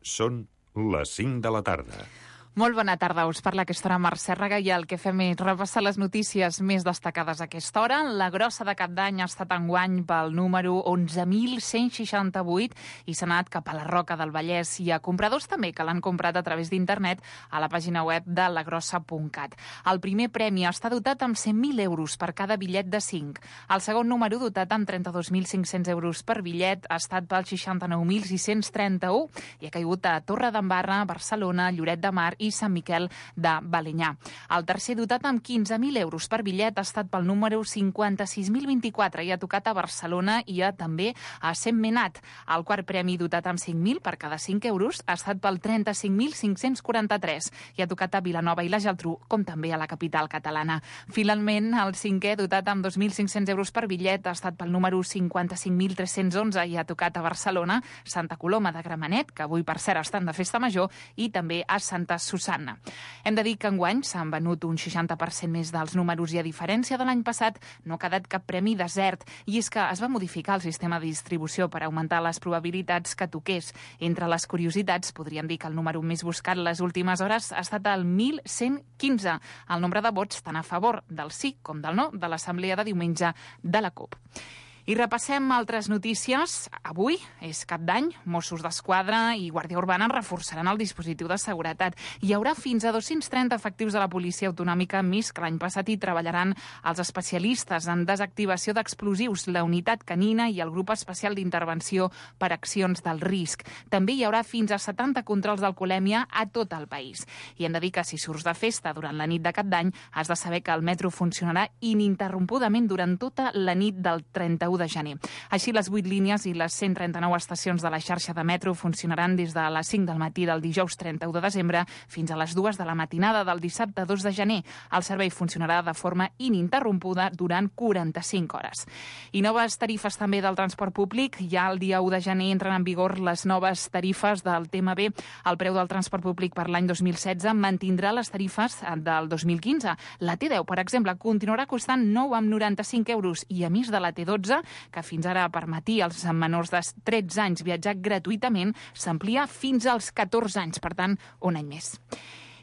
Són les 5 de la tarda. Molt bona tarda, us parla a aquesta hora Mercè Raga i el que fem és repassar les notícies més destacades a aquesta hora. La grossa de cap d'any ha estat enguany pel número 11.168 i s'ha anat cap a la Roca del Vallès. Hi ha compradors també que l'han comprat a través d'internet a la pàgina web de lagrossa.cat. El primer premi està dotat amb 100.000 euros per cada bitllet de 5. El segon número, dotat amb 32.500 euros per bitllet, ha estat pel 69.631 i ha caigut a Torredembarra, Barcelona, Lloret de Mar i Sant Miquel de Balenyà. El tercer, dotat amb 15.000 euros per bitllet, ha estat pel número 56.024 i ha tocat a Barcelona i també a Sentmenat. El quart premi, dotat amb 5.000 per cada 5 euros, ha estat pel 35.543 i ha tocat a Vilanova i la Geltrú, com també a la capital catalana. Finalment, el cinquè, dotat amb 2.500 euros per bitllet, ha estat pel número 55.311 i ha tocat a Barcelona, Santa Coloma de Gramenet, que avui per cert estan de festa major, i també a Santa Susanna. Hem de dir que enguany s'han venut un 60% més dels números i, a diferència de l'any passat, no ha quedat cap premi desert, i és que es va modificar el sistema de distribució per augmentar les probabilitats que toqués. Entre les curiositats, podríem dir que el número més buscat les últimes hores ha estat el 1.115, el nombre de vots tant a favor del sí com del no de l'assemblea de diumenge de la CUP. I repassem altres notícies. Avui és Cap d'Any, Mossos d'Esquadra i Guàrdia Urbana reforçaran el dispositiu de seguretat. Hi haurà fins a 230 efectius de la Policia Autonòmica més que l'any passat i treballaran els especialistes en desactivació d'explosius, la unitat canina i el grup especial d'intervenció per accions del risc. També hi haurà fins a 70 controls d'alcoholèmia a tot el país. I hem de dir que si surts de festa durant la nit de Cap d'Any, has de saber que el metro funcionarà ininterrompudament durant tota la nit del 31 de gener. Així, les 8 línies i les 139 estacions de la xarxa de metro funcionaran des de les 5 del matí del dijous 31 de desembre fins a les 2 de la matinada del dissabte 2 de gener. El servei funcionarà de forma ininterrompuda durant 45 hores. I noves tarifes també del transport públic. Ja el dia 1 de gener entren en vigor les noves tarifes del TMB. El preu del transport públic per l'any 2016 mantindrà les tarifes del 2015. La T10, per exemple, continuarà costant 9,95 euros i, a més de la T12, que fins ara permetia als menors de 13 anys viatjar gratuïtament, s'amplia fins als 14 anys, per tant, un any més.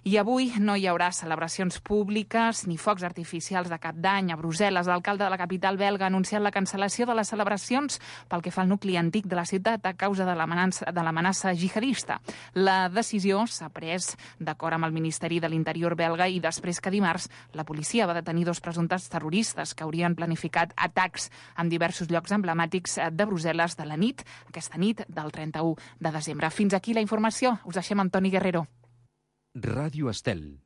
I avui no hi haurà celebracions públiques ni focs artificials de Cap d'Any. A Brussel·les, l'alcalde de la capital belga ha anunciat la cancel·lació de les celebracions pel que fa al nucli antic de la ciutat a causa de l'amenaça jihadista. La decisió s'ha pres d'acord amb el Ministeri de l'Interior belga i després que dimarts la policia va detenir 2 presumptes terroristes que haurien planificat atacs en diversos llocs emblemàtics de Brussel·les de la nit, aquesta nit del 31 de desembre. Fins aquí la informació. Us deixem amb Toni Guerrero. Ràdio Estel.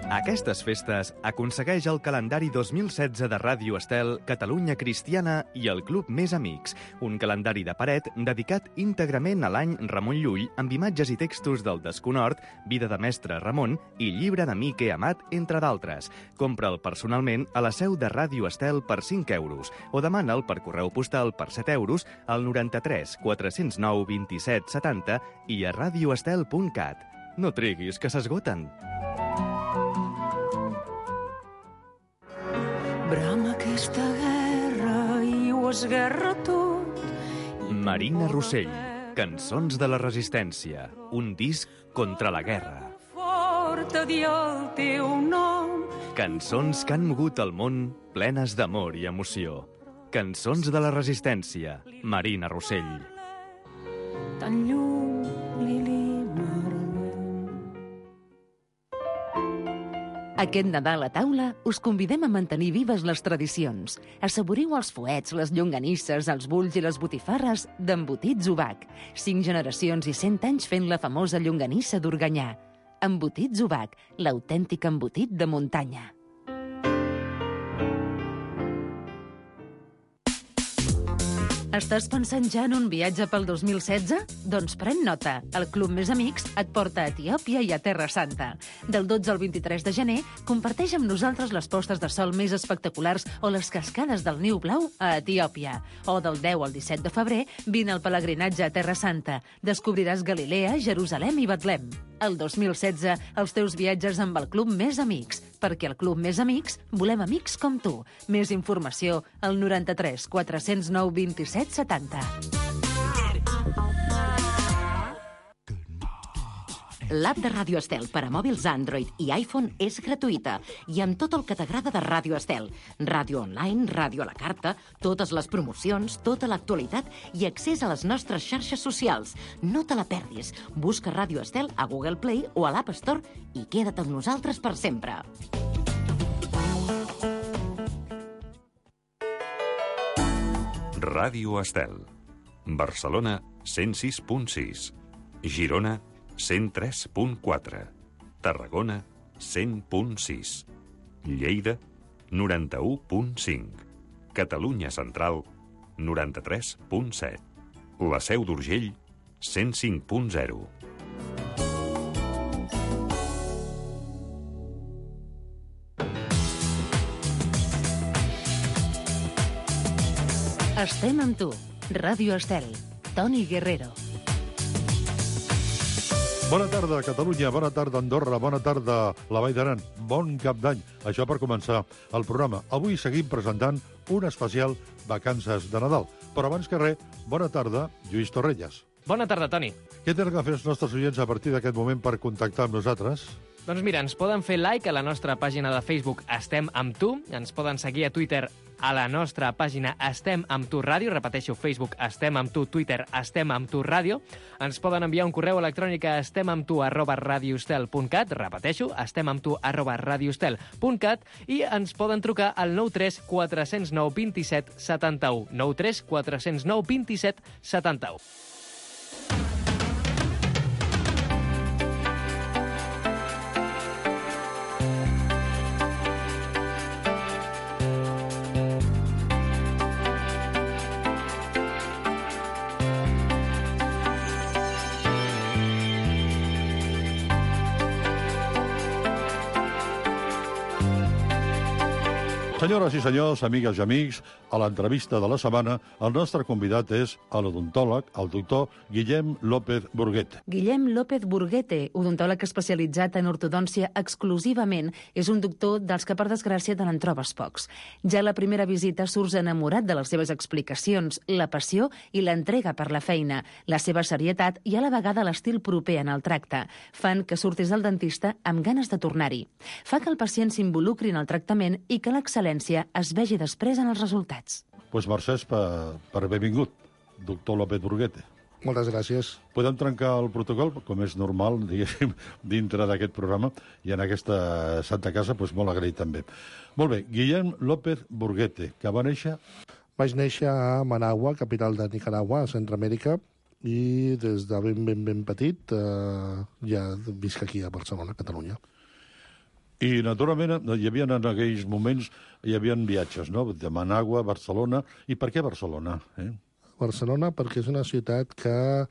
Aquestes festes aconsegueix el calendari 2016 de Ràdio Estel, Catalunya Cristiana i el Club Més Amics, un calendari de paret dedicat íntegrament a l'any Ramon Llull amb imatges i textos del Desconhort, Vida de Mestre Ramon i Llibre d'Amic he amat, entre d'altres. Compra'l personalment a la seu de Ràdio Estel per 5 euros o demana'l per correu postal per 7 euros al 93 409 27 70 i a radioestel.cat. No triguis, que s'esgoten. Brama aquesta guerra i ho esguerra tot. Marina Rossell, Cançons de la Resistència, un disc contra la guerra. Fort a dir el teu nom. Cançons que han mogut el món plenes d'amor i emoció. Cançons de la Resistència, Marina Rossell. Tan lluny, Lili Marlene. Aquest Nadal a taula us convidem a mantenir vives les tradicions. Assaboriu els fuets, les llonganisses, els bulls i les botifarres d'Embotits Ubac. 5 generacions i 100 anys fent la famosa llonganissa d'Organyà. Embotits Ubac, l'autèntic embotit de muntanya. Estàs pensant ja en un viatge pel 2016? Doncs pren nota. El Club Més Amics et porta a Etiòpia i a Terra Santa. Del 12 al 23 de gener, comparteix amb nosaltres les postes de sol més espectaculars o les cascades del Niu Blau a Etiòpia. O del 10 al 17 de febrer, vine al pelegrinatge a Terra Santa. Descobriràs Galilea, Jerusalem i Betlem. El 2016, els teus viatges amb el Club Més Amics. Perquè al Club Més Amics volem amics com tu. Més informació al 93 409 27 70. L'app de Ràdio Estel per a mòbils Android i iPhone és gratuïta i amb tot el que t'agrada de Ràdio Estel. Ràdio online, ràdio a la carta, totes les promocions, tota l'actualitat i accés a les nostres xarxes socials. No te la perdis. Busca Ràdio Estel a Google Play o a l'App Store i queda't amb nosaltres per sempre. Ràdio Estel. Barcelona, 106.6. Girona, 103.4. Tarragona, 100.6. Lleida, 91.5. Catalunya Central, 93.7. La Seu d'Urgell, 105.0. Estem amb tu. Ràdio Estel. Toni Guerrero. Bona tarda, Catalunya. Bona tarda, Andorra. Bona tarda, la Vall d'Aran. Bon cap d'any. Això per començar el programa. Avui seguim presentant un especial Vacances de Nadal. Però abans que res, bona tarda, Lluís Torrelles. Bona tarda, Toni. Què tenen que fer els nostres oients a partir d'aquest moment per contactar amb nosaltres? Doncs mira, ens poden fer like a la nostra pàgina de Facebook Estem amb tu, ens poden seguir a Twitter a la nostra pàgina Estem amb tu ràdio, repeteixo, Facebook Estem amb tu, Twitter Estem amb tu ràdio, ens poden enviar un correu electrònic a estemamtu@radioestel.cat, repeteixo, estemamtu@radioestel.cat i ens poden trucar al 93 409 27 71, 93 409 27 71. Senyores i senyors, amigues i amics, a l'entrevista de la setmana, el nostre convidat és l'odontòleg, el doctor Guillem López Burguete. Guillem López Burguete, odontòleg especialitzat en ortodòncia exclusivament, és un doctor dels que, per desgràcia, te n'en trobes pocs. Ja a la primera visita surts enamorat de les seves explicacions, la passió i l'entrega per la feina, la seva serietat i a la vegada l'estil proper en el tracte. Fan que surtis del dentista amb ganes de tornar-hi. Fa que el pacient s'involucri en el tractament i que l'excel·lència es vegi després en els resultats. Pues mercès per benvingut, doctor López Burguete. Moltes gràcies. Podem trencar el protocol, com és normal, diguéssim, dintre d'aquest programa, i en aquesta santa casa, doncs molt agraït també. Molt bé, Guillem López Burguete, que va néixer... Vaig néixer a Managua, capital de Nicaragua, a Centroamèrica, i des de ben petit ja visc aquí a Barcelona, Catalunya. I, naturalment, hi havia en aquells moments, hi havia viatges, no?, de Managua, Barcelona. I per què Barcelona? Barcelona perquè és una ciutat que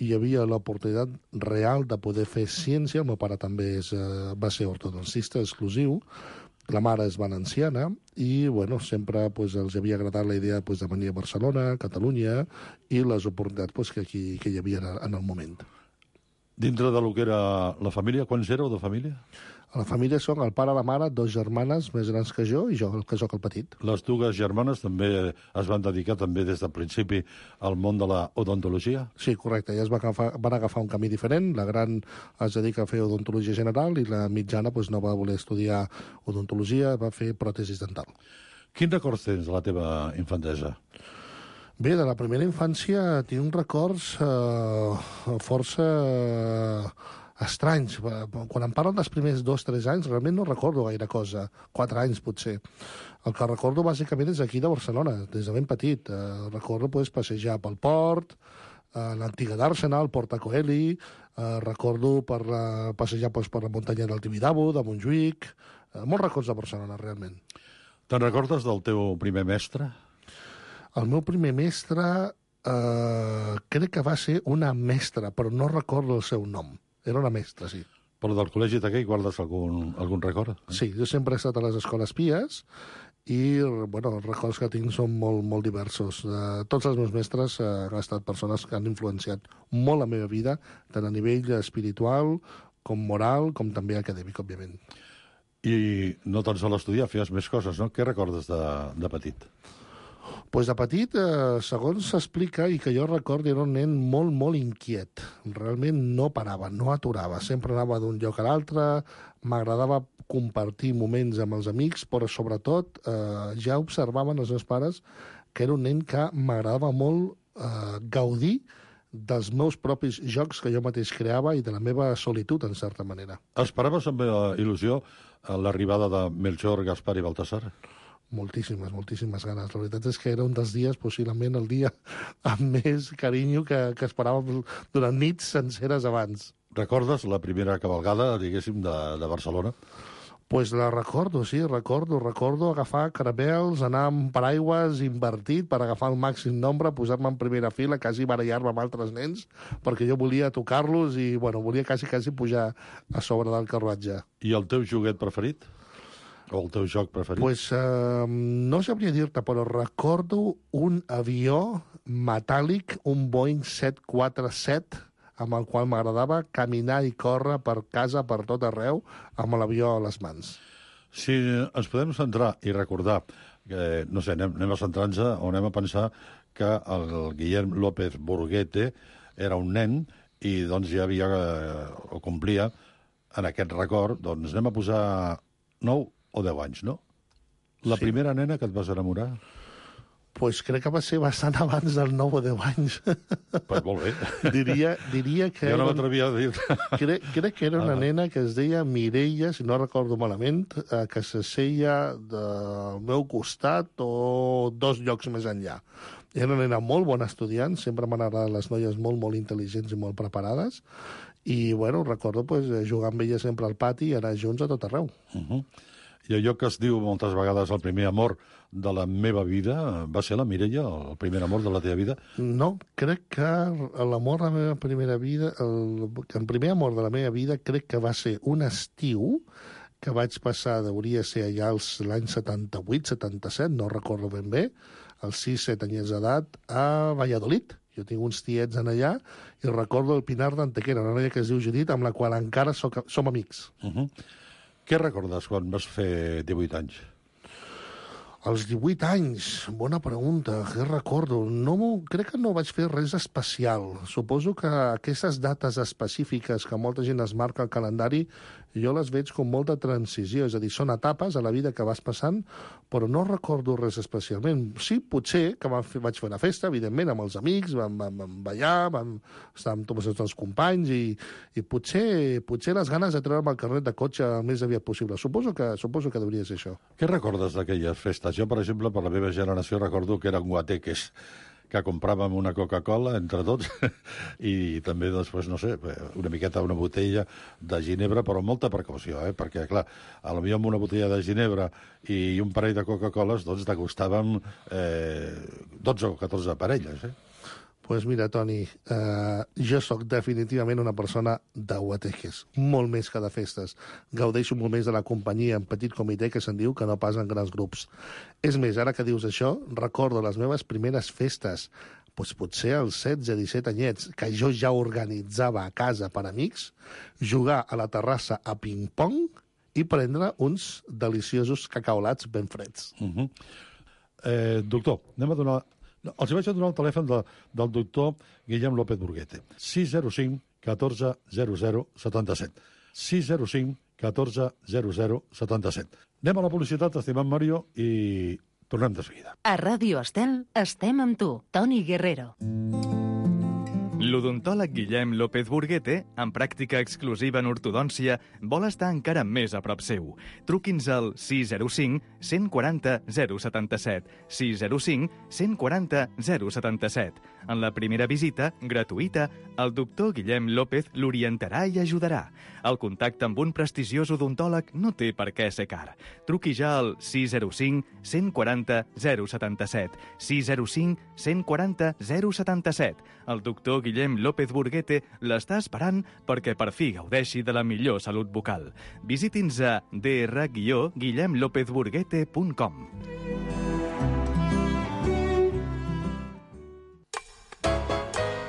hi havia l'oportunitat real de poder fer ciència. El meu pare també va ser ortodoncista exclusiu, la mare és valenciana, i bueno, sempre els havia agradat la idea de venir a Barcelona, Catalunya, i les oportunitats que hi havia en el moment. Dintre del que era la família, quants éreu de família? A la família són el pare, la mare, 2 germanes més grans que jo, i jo, que sóc el petit. Les dues germanes també es van dedicar també des del principi al món de la odontologia? Sí, correcte. Elles van agafar un camí diferent. La gran es dedica a fer odontologia general i la mitjana no va voler estudiar odontologia, va fer pròtesis dental. Quins records tens de la teva infantesa? Bé, de la primera infància tinc uns records força estranys. Quan em parlen dels primers 2-3 anys, realment no recordo gaire cosa. 4 anys, potser. El que recordo, bàsicament, és aquí de Barcelona, des de ben petit. Recordo passejar pel port, l'antiga d'Arsenal, Porta Coeli, recordo passejar per la muntanya del Tibidabo, de Montjuïc. Molts records de Barcelona, realment. Te'n recordes del teu primer mestre? El meu primer mestre crec que va ser una mestra, però no recordo el seu nom. Era una mestra, sí. Però del col·legi d'aquell guardes algun record? Sí, jo sempre he estat a les escoles pies i els records que tinc són molt diversos. Tots els meus mestres han estat persones que han influenciat molt la meva vida, tant a nivell espiritual com moral, com també acadèmic, òbviament. I no tan sols estudiar, feies més coses, no? Què recordes de petit? Pues de petit, segons s'explica, i que jo recordo, era un nen molt, molt inquiet. Realment no parava, no aturava. Sempre anava d'un lloc a l'altre, m'agradava compartir moments amb els amics, però sobretot ja observaven els meus pares que era un nen que m'agradava molt gaudir dels meus propis jocs que jo mateix creava i de la meva solitud, en certa manera. Esperaves amb il·lusió l'arribada de Melchor, Gaspar i Baltasar? Moltíssimes, moltíssimes ganes. La veritat és que era un dels dies, possiblement el dia amb més carinyo que esperàvem durant nits senceres abans. Recordes la primera cavalgada, diguéssim, de Barcelona? Pues la recordo, sí, recordo agafar caramels, anar amb paraigües invertit per agafar el màxim nombre, posar-me en primera fila, quasi barallar-me amb altres nens, perquè jo volia tocar-los i, bueno, volia quasi pujar a sobre del carruatge. I el teu joguet preferit? O el teu joc preferit? Pues no sabria dir-te, però recordo un avió metàl·lic, un Boeing 747, amb el qual m'agradava caminar i córrer per casa, per tot arreu, amb l'avió a les mans. Si ens podem centrar i recordar, que, no sé, anem a centrar-nos o anem a pensar que el Guillem López Burguete era un nen i doncs ja havia, o complia, en aquest record, doncs anem a posar 9 o 10 anys, no? La primera nena que et vas enamorar? Pues crec que va ser bastant abans del 9 o 10 anys. Pues molt bé. Diria que... Jo no m'atrevia a dir-te. Crec que era una nena que es deia Mireia, si no recordo malament, que s'asseia del meu costat o 2 llocs més enllà. Era una nena molt bona estudiant, sempre m'han agradat les noies molt, molt intel·ligents i molt preparades, i, bueno, recordo jugar amb ella sempre al pati i anar junts a tot arreu. I allò que es diu moltes vegades el primer amor de la meva vida, va ser la Mireia, el primer amor de la teva vida? No, crec que l'amor de la meva primera vida, el primer amor de la meva vida crec que va ser un estiu que vaig passar, hauria ser allà l'any 78, 77, no recordo ben bé, als 6-7 anyets d'edat, a Valladolid. Jo tinc uns tiets en allà i recordo el Pinar d'Antequera, una noia que es diu Judit, amb la qual encara som amics. Què recordes quan vas fer 18 anys? Als 18 anys, bona pregunta, què recordo? Crec que no vaig fer res especial. Suposo que aquestes dates específiques que molta gent es marca al calendari, jo les veig com molta transició, és a dir, són etapes a la vida que vas passant, però no recordo res especialment. Sí, potser que vaig fer una festa, evidentment, amb els amics, vam ballar, vam estar amb tots els companys i potser les ganes de treure'm el carnet de cotxe el més aviat possible. Suposo que hauria de ser això. Què recordes d'aquelles festes? Jo, per exemple, per la meva generació recordo que eren guateques, que compràvem una Coca-Cola entre tots i també, després, no sé, una miqueta, una botella de ginebra, però amb molta precaució, perquè, clar, potser amb una botella de ginebra i un parell de Coca-Coles, doncs degustàvem 12 o 14 parelles, Pues mira, Toni, jo sóc definitivament una persona de guateques, molt més que de festes. Gaudeixo molt més de la companyia en petit comitè, que se'n diu, que no pas en grans grups. És més, ara que dius això, recordo les meves primeres festes, potser als 16-17 anyets, que jo ja organitzava a casa per amics, jugar a la terrassa a ping-pong i prendre uns deliciosos cacaolats ben freds. Doctor, anem a donar... Els vaig a donar el telèfon del doctor Guillem López Burguete. 605 14 00 77. 605 14 00 77. Anem a la publicitat, estimat Mario, i tornem de seguida. A Ràdio Estel estem amb tu, Toni Guerrero. L'odontòleg Guillem López Burguete, amb pràctica exclusiva en ortodòncia, vol estar encara més a prop seu. Truqui'ns al 605 140 077. 605 140 077. En la primera visita, gratuïta, el doctor Guillem López l'orientarà i ajudarà. El contacte amb un prestigiós odontòleg no té per què ser car. Truqui ja al 605 140 077. 605 140 077. El doctor Guillem López Burguete l'està esperant perquè per fi gaudeixi de la millor salut bucal. Visiti'ns a dr-guillemlopezburguete.com.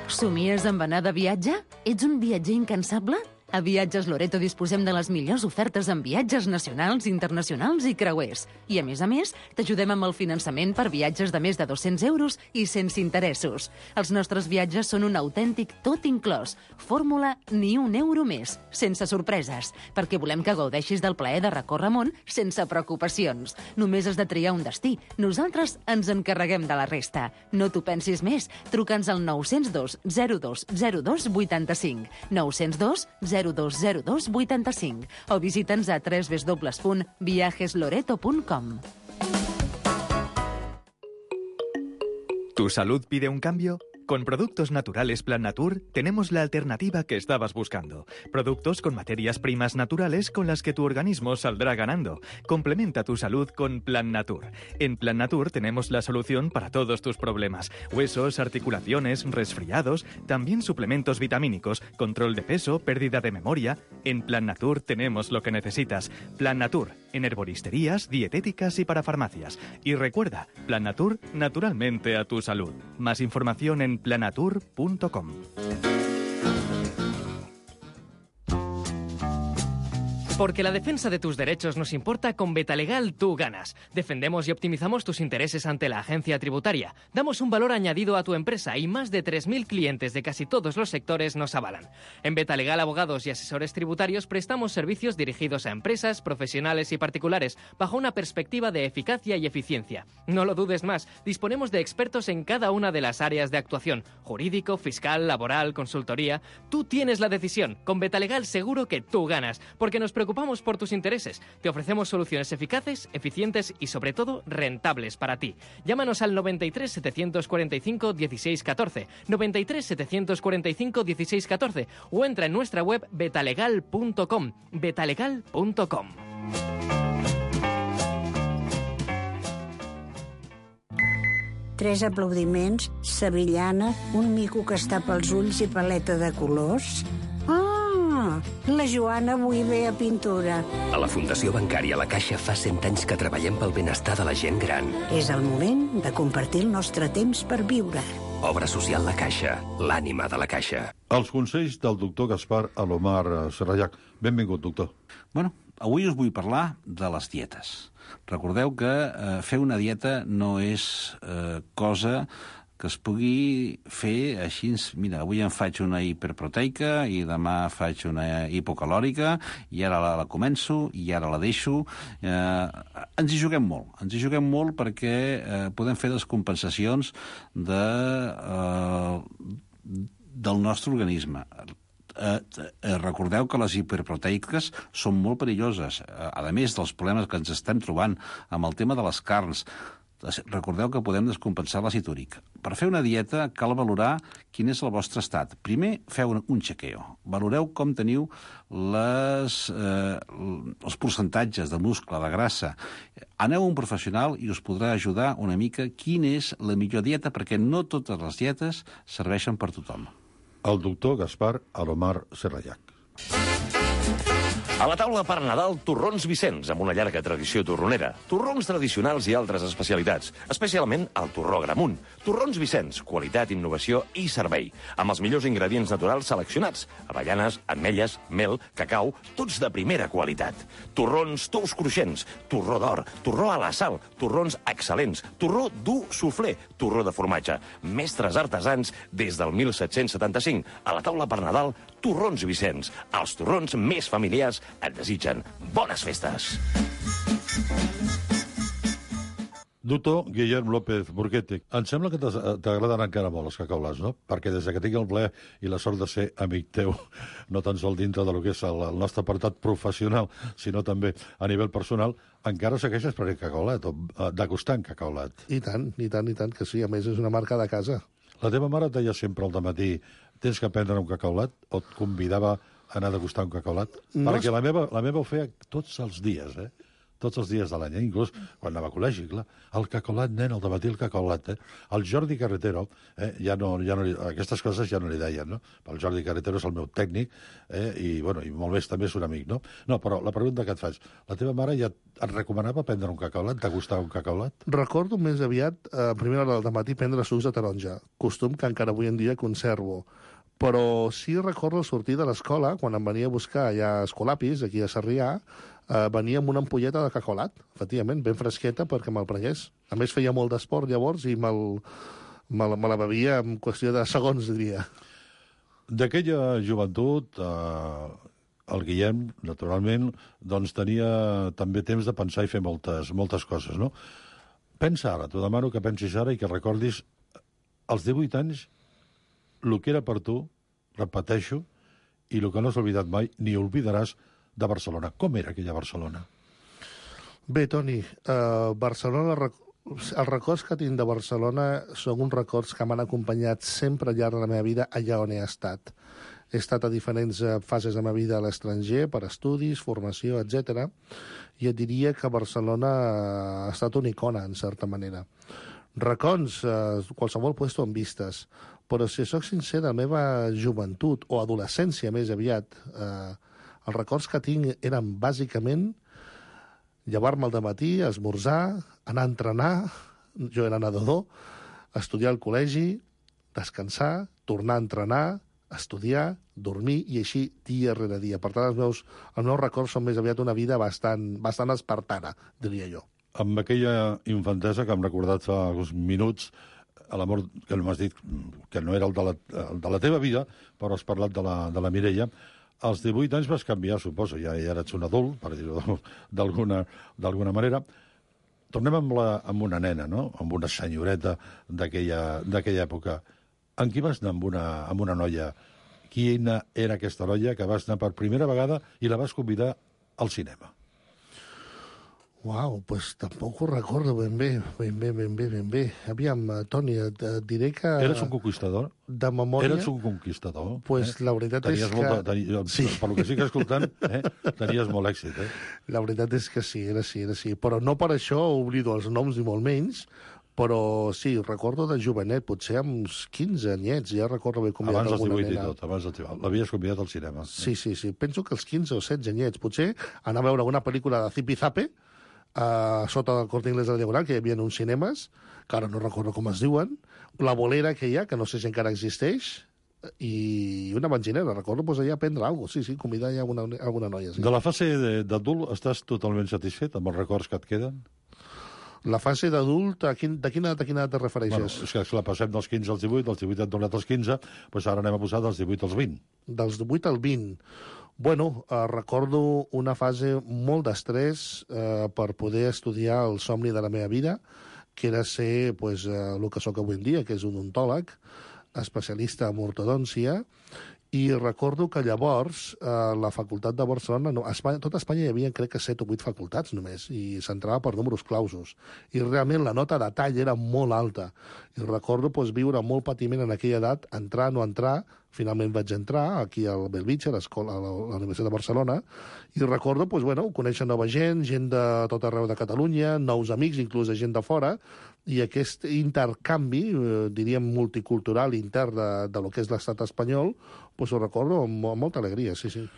Somies amb anar de viatge? Ets un viatger incansable? A Viatges Loreto disposem de les millors ofertes en viatges nacionals, internacionals i creuers. I, a més, t'ajudem amb el finançament per viatges de més de 200 euros i sense interessos. Els nostres viatges són un autèntic tot inclòs. Fórmula ni un euro més, sense sorpreses, perquè volem que gaudeixis del plaer de recórrer món sense preocupacions. Només has de triar un destí. Nosaltres ens encarreguem de la resta. No t'ho pensis més. Truca'ns al 902 02 02 85. 902 0202 85 o visita'ns a www.viajesloreto.com. ¿Tu salud pide un cambio? Con Productos Naturales Plan Natur tenemos la alternativa que estabas buscando. Productos con materias primas naturales con las que tu organismo saldrá ganando. Complementa tu salud con Plan Natur. En Plan Natur tenemos la solución para todos tus problemas. Huesos, articulaciones, resfriados, también suplementos vitamínicos, control de peso, pérdida de memoria. En Plan Natur tenemos lo que necesitas. Plan Natur, en herboristerías, dietéticas y para farmacias. Y recuerda, Plan Natur, naturalmente a tu salud. Más información en planatur.com. Porque la defensa de tus derechos nos importa, con Betalegal tú ganas. Defendemos y optimizamos tus intereses ante la agencia tributaria. Damos un valor añadido a tu empresa y más de 3.000 clientes de casi todos los sectores nos avalan. En Betalegal Abogados y Asesores Tributarios prestamos servicios dirigidos a empresas, profesionales y particulares bajo una perspectiva de eficacia y eficiencia. No lo dudes más, disponemos de expertos en cada una de las áreas de actuación: jurídico, fiscal, laboral, consultoría. Tú tienes la decisión. Con Betalegal seguro que tú ganas, porque nos preocupamos por tus intereses. Te ofrecemos soluciones eficaces, eficientes y, sobre todo, rentables para ti. Llámanos al 93 745 16 14, 93 745 16 14 o entra en nuestra web betalegal.com, betalegal.com. Tres aplaudiments, sevillana, un mico que es tapa els ulls i paleta de colors. La Joana avui ve a pintura. A la Fundació Bancària La Caixa fa 100 anys que treballem pel benestar de la gent gran. És el moment de compartir el nostre temps per viure. Obra social La Caixa, l'ànima de la Caixa. Els consells del doctor Gaspar Alomar Serrallac. Benvingut, doctor. Bueno, avui us vull parlar de les dietes. Recordeu que fer una dieta no és cosa que es pugui fer així. Mira, avui em faig una hiperproteica i demà faig una hipocalòrica i ara la començo i ara la deixo. Ens hi juguem molt perquè podem fer descompensacions del nostre organisme. Recordeu que les hiperproteiques són molt perilloses, a més dels problemes que ens estem trobant amb el tema de les carns. Recordeu que podem descompensar l'àcid úric. Per fer una dieta cal valorar quin és el vostre estat. Primer, feu un chequeo. Valoreu com teniu els percentatges de muscle, de grassa. Aneu a un professional i us podrà ajudar una mica quina és la millor dieta, perquè no totes les dietes serveixen per tothom. El doctor Gaspar Alomar Serrallac. A la taula per Nadal, torrons Vicenç, amb una llarga tradició torronera. Torrons tradicionals i altres especialitats, especialment el torró Gramunt. Torrons Vicenç, qualitat, innovació i servei, amb els millors ingredients naturals seleccionats: avellanes, ametlles, mel, cacau, tots de primera qualitat. Torrons tous cruixents, torró d'or, torró a la sal, torrons excel·lents, torró dur soufflé, torró de formatge. Mestres artesans des del 1775. A la taula per Nadal, torrons Vicenç. Els torrons més familiars et desitgen bones festes. Doctor Guillem López Burguete, em sembla que t'agraden encara molt els cacaulats, no? Perquè des que tinc el plaer i la sort de ser amic teu, no tan sol dintre del que és el nostre apartat professional, sinó també a nivell personal, encara segueixes per el cacaulat, o degustant cacaulat. I tant, que sí. A més, és una marca de casa. La teva mare et deia sempre al dematí: tens que prendre un cacaulat, o et convidava a anar a degustar un cacaulat? No, perquè la meva ho feia tots els dies, tots els dies de l'any, inclús quan anava a col·legi, clar. El cacaulat, nen, al dematí el cacaulat, El Jordi Carretero, aquestes coses ja no li deien, no? El Jordi Carretero és el meu tècnic, i molt més també és un amic, no? No, però la pregunta que et faig, la teva mare ja et recomanava prendre un cacaulat, degustar un cacaulat? Recordo més aviat, a primera hora del matí, prendre sucs de taronja, costum que encara avui en dia conservo. Però sí recordo sortir de l'escola, quan em venia a buscar allà a Escolapis, aquí a Sarrià, venia amb una ampolleta de cacolat, efectivament, ben fresqueta perquè me'l prengués. A més, feia molt d'esport llavors i me la bevia en qüestió de segons, diria. D'aquella joventut, el Guillem, naturalment, doncs tenia també temps de pensar i fer moltes coses, no? Pensa ara, t'ho demano que pensis ara i que recordis als 18 anys el que era per tu, repeteixo, i el que no has oblidat mai, ni oblidaràs, de Barcelona. Com era aquella Barcelona? Bé, Toni, Barcelona, els records que tinc de Barcelona són uns records que m'han acompanyat sempre al llarg de la meva vida allà on he estat. He estat a diferents fases de la meva vida a l'estranger, per estudis, formació, etc. I et diria que Barcelona ha estat una icona, en certa manera. Records, qualsevol puesto en vistes, però si soc sincer, de la meva joventut, o adolescència més aviat, els records que tinc eren bàsicament llevar-me al dematí, esmorzar, anar a entrenar, jo era nedador, estudiar al col·legi, descansar, tornar a entrenar, estudiar, dormir, i així dia rere dia. Per tant, els meus records són més aviat una vida bastant espartana, diria jo. Amb aquella infantesa que hem recordat fa uns minuts, l'amor que m'has dit que no era el de la teva vida, però has parlat de la Mireia, als 18 anys vas canviar, suposo, ja eres un adult, per dir-ho d'alguna manera. Tornem amb una nena, no? Amb una senyoreta d'aquella època. En qui vas anar amb una noia? Quina era aquesta noia que vas anar per primera vegada i la vas convidar al cinema? Uau, doncs tampoc ho recordo ben bé. Aviam, Toni, et diré que... Eres un conquistador? De memòria... Eres un conquistador? Pues la veritat és que... Sí. Per lo que estic escoltant, tenies molt èxit, La veritat és que sí, era sí. Però no per això oblido els noms ni molt menys, però sí, recordo de jovenet, potser amb uns 15 anyets, ja recordo haver convidat alguna nena. Abans dels 18 i tot, l'havies convidat al cinema. Sí. Penso que els 15 o 16 anyets, potser anar a veure alguna pel·lícula de Zipi Zape, sota del Corte Inglés de la Diagonal, que hi havia uns cinemes, que ara no recordo com es diuen, la bolera que hi ha, que no sé si encara existeix, i una benzinera, recordo allà a prendre alguna cosa, sí, convidar ja alguna noia. Sí. De la fase d'adult estàs totalment satisfet amb els records que et queden? La fase d'adult, de quina edat te refereixes? Bueno, és que la passem dels 15 als 18, dels 18 hem tornat als 15, doncs ara anem a posar dels 18 als 20. Dels 18 al 20. Bueno, recordo una fase molt d'estrès per poder estudiar el somni de la meva vida, que era ser el que sóc avui en dia, que és un odontòleg, especialista en ortodòncia, i recordo que llavors la facultat de Barcelona, tot Espanya hi havia crec que 7 o 8 facultats només, i s'entrava per números clausos. I realment la nota de tall era molt alta. I recordo viure molt patiment en aquella edat, entrar, no entrar. Finalment vaig entrar aquí al Bellvitge, a la Universitat de Barcelona, i recordo conèixer nova gent de tot arreu de Catalunya, nous amics, inclús de gent de fora, i aquest intercanvi, diríem multicultural intern de lo que és l'estat espanyol, ho recordo amb molta alegria, sí.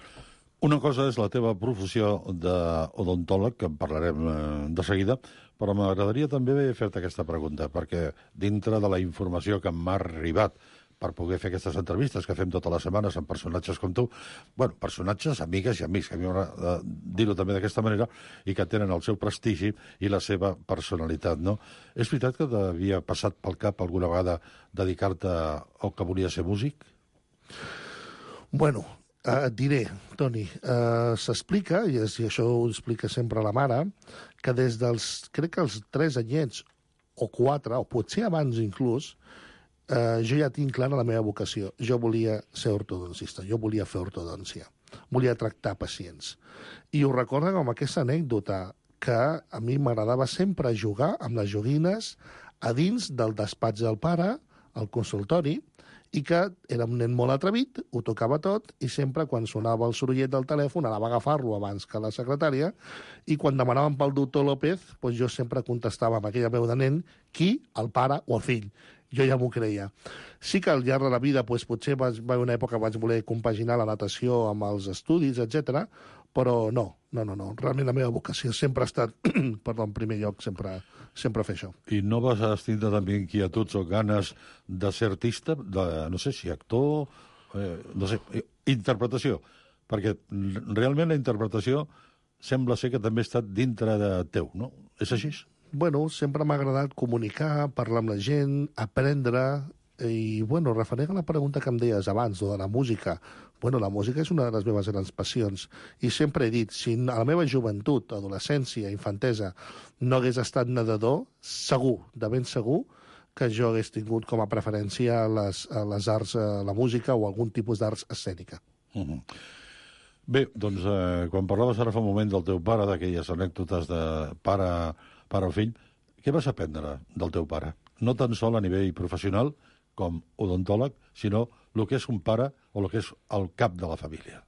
Una cosa és la teva professió d'odontòleg, que en parlarem de seguida, però m'agradaria també fer-te aquesta pregunta, perquè dintre de la informació que m'ha arribat per poder fer aquestes entrevistes que fem totes les setmanes amb personatges com tu, personatges, amigues i amics, que a mi m'agrada dir-ho també d'aquesta manera, i que tenen el seu prestigi i la seva personalitat, no? És veritat que t'havia passat pel cap alguna vegada dedicar-te al que volia ser músic? Bueno, et diré, Toni, s'explica, i això ho explica sempre la mare, que des crec que els 3 anyets o 4, o potser abans inclús, jo ja tinc clara la meva vocació. Jo volia ser ortodoncista, jo volia fer ortodòncia, volia tractar pacients. I ho recordo com aquesta anècdota, que a mi m'agradava sempre jugar amb les joguines a dins del despatx del pare, al consultori, i que era un nen molt atrevit, ho tocava tot, i sempre quan sonava el sorollet del telèfon anava a agafar-lo abans que la secretària, i quan demanaven pel doctor López, jo sempre contestava amb aquella veu de nen, qui? El pare o el fill. Jo ja m'ho creia. Sí que al llarg de la vida potser va haver una època que vaig voler compaginar la natació amb els estudis, etc. Però no. Realment la meva vocació sempre ha estat, en primer lloc, sempre fer això. I no vas tindre també inquietuds o ganes de ser artista? No sé si actor no sé, interpretació, perquè realment la interpretació sembla ser que també ha estat dintre de teu, no? És així? Bueno, sempre m'ha agradat comunicar, parlar amb la gent, aprendre, i, bueno, referent a la pregunta que em deies abans, de la música, bueno, la música és una de les meves grans passions, i sempre he dit, si a la meva joventut, adolescència, infantesa, no hagués estat nedador, segur, de ben segur, que jo hagués tingut com a preferència les arts, la música o algun tipus d'arts escènica. Bé, doncs, quan parlaves ara fa un moment del teu pare, d'aquelles anècdotes de pare o fill, què vas aprendre del teu pare? No tan sol a nivell professional, com odontòleg, sinó el que és un pare o el que és el cap de la família.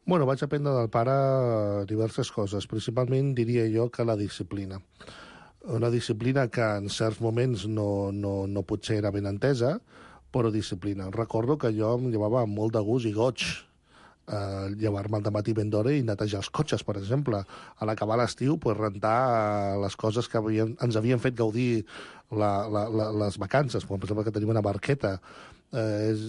Bueno, vaig aprendre del pare diverses coses. Principalment diria jo que la disciplina. Una disciplina que en certs moments no potser era ben entesa, però disciplina. Recordo que jo em llevava amb molt de gust i goig llevar-me al dematí ben d'hora i netejar els cotxes, per exemple. A l'acabar l'estiu, rentar les coses que ens havien fet gaudir les vacances, com per exemple que tenim una barqueta.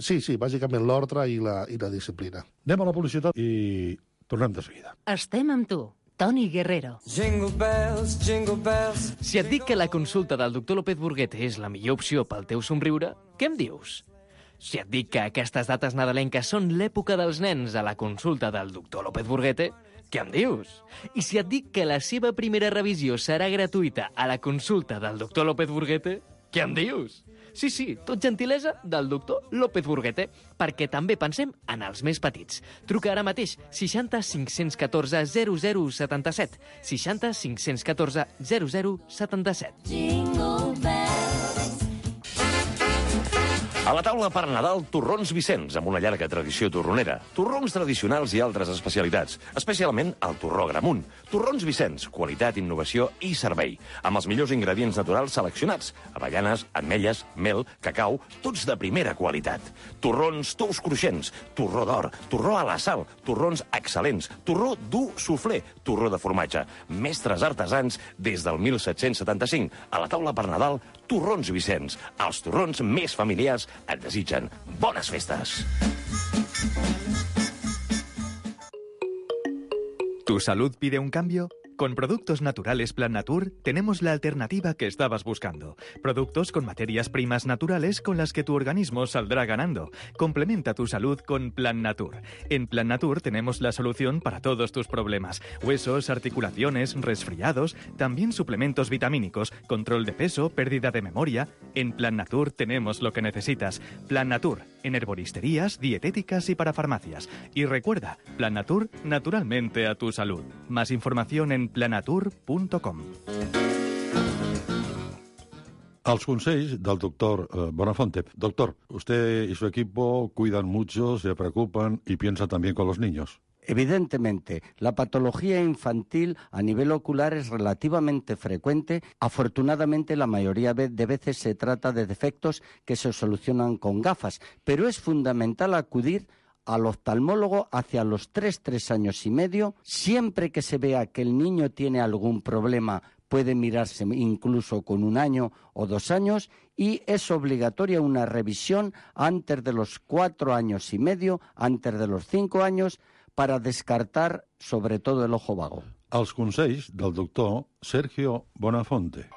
Sí, bàsicament l'ordre i la disciplina. Anem a la publicitat i tornem de seguida. Estem amb tu, Toni Guerrero. Jingle bells, jingle bells. Si et dic que la consulta del doctor López Burguete és la millor opció pel teu somriure, què em dius? Si et dic que aquestes dates nadalenques són l'època dels nens a la consulta del doctor López Burguete, què em dius? I si et dic que la seva primera revisió serà gratuïta a la consulta del doctor López Burguete, què em dius? Sí, tot gentilesa del doctor López Burguete, perquè també pensem en els més petits. Truca ara mateix 60 514 0077. 60 514 0077. Jingle bells. A la taula per Nadal, torrons Vicenç, amb una llarga tradició torronera. Torrons tradicionals i altres especialitats, especialment el torró Gramunt. Torrons Vicenç, qualitat, innovació i servei. Amb els millors ingredients naturals seleccionats. Avellanes, ametlles, mel, cacau, tots de primera qualitat. Torrons tous cruixents, torró d'or, torró a la sal, torrons excel·lents, torró dur suflé, torró de formatge. Mestres artesans des del 1775. A la taula per Nadal, torrons Vicenç. Els torrons més familiars et desitgen bones festes. ¿Tu salud pide un cambio? Con Productos Naturales Plan Natur tenemos la alternativa que estabas buscando. Productos con materias primas naturales con las que tu organismo saldrá ganando. Complementa tu salud con Plan Natur. En Plan Natur tenemos la solución para todos tus problemas. Huesos, articulaciones, resfriados, también suplementos vitamínicos, control de peso, pérdida de memoria. En Plan Natur tenemos lo que necesitas. Plan Natur, en herboristerías, dietéticas y para farmacias. Y recuerda, Plan Natur, naturalmente a tu salud. Más información en planatur.com. Els consells del doctor Bonafonte. Doctor, usted y su equipo cuidan mucho, se preocupan y piensan también con los niños. Evidentemente, la patología infantil a nivel ocular es relativamente frecuente. Afortunadamente, la mayoría de veces se trata de defectos que se solucionan con gafas, pero es fundamental acudir al oftalmólogo hacia los 3 años y medio. Siempre que se vea que el niño tiene algún problema, puede mirarse incluso con 1 año o 2 años, y es obligatoria una revisión antes de los 4 años y medio, antes de los 5 años, para descartar sobre todo el ojo vago. Els consells del doctor Sergio Bonafonte.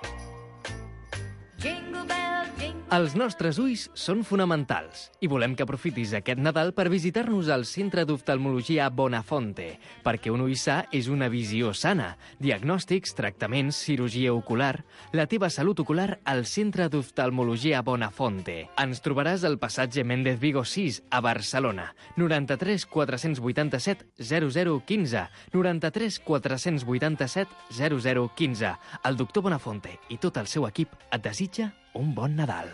Els nostres ulls són fonamentals i volem que aprofitis aquest Nadal per visitar-nos al Centre d'Oftalmologia Bonafonte, perquè un ull sa és una visió sana. Diagnòstics, tractaments, cirurgia ocular... La teva salut ocular al Centre d'Oftalmologia Bonafonte. Ens trobaràs al passatge Méndez Vigo 6, a Barcelona. 93 487 0015. 93 487 0015. El doctor Bonafonte i tot el seu equip et desitja un bon Nadal.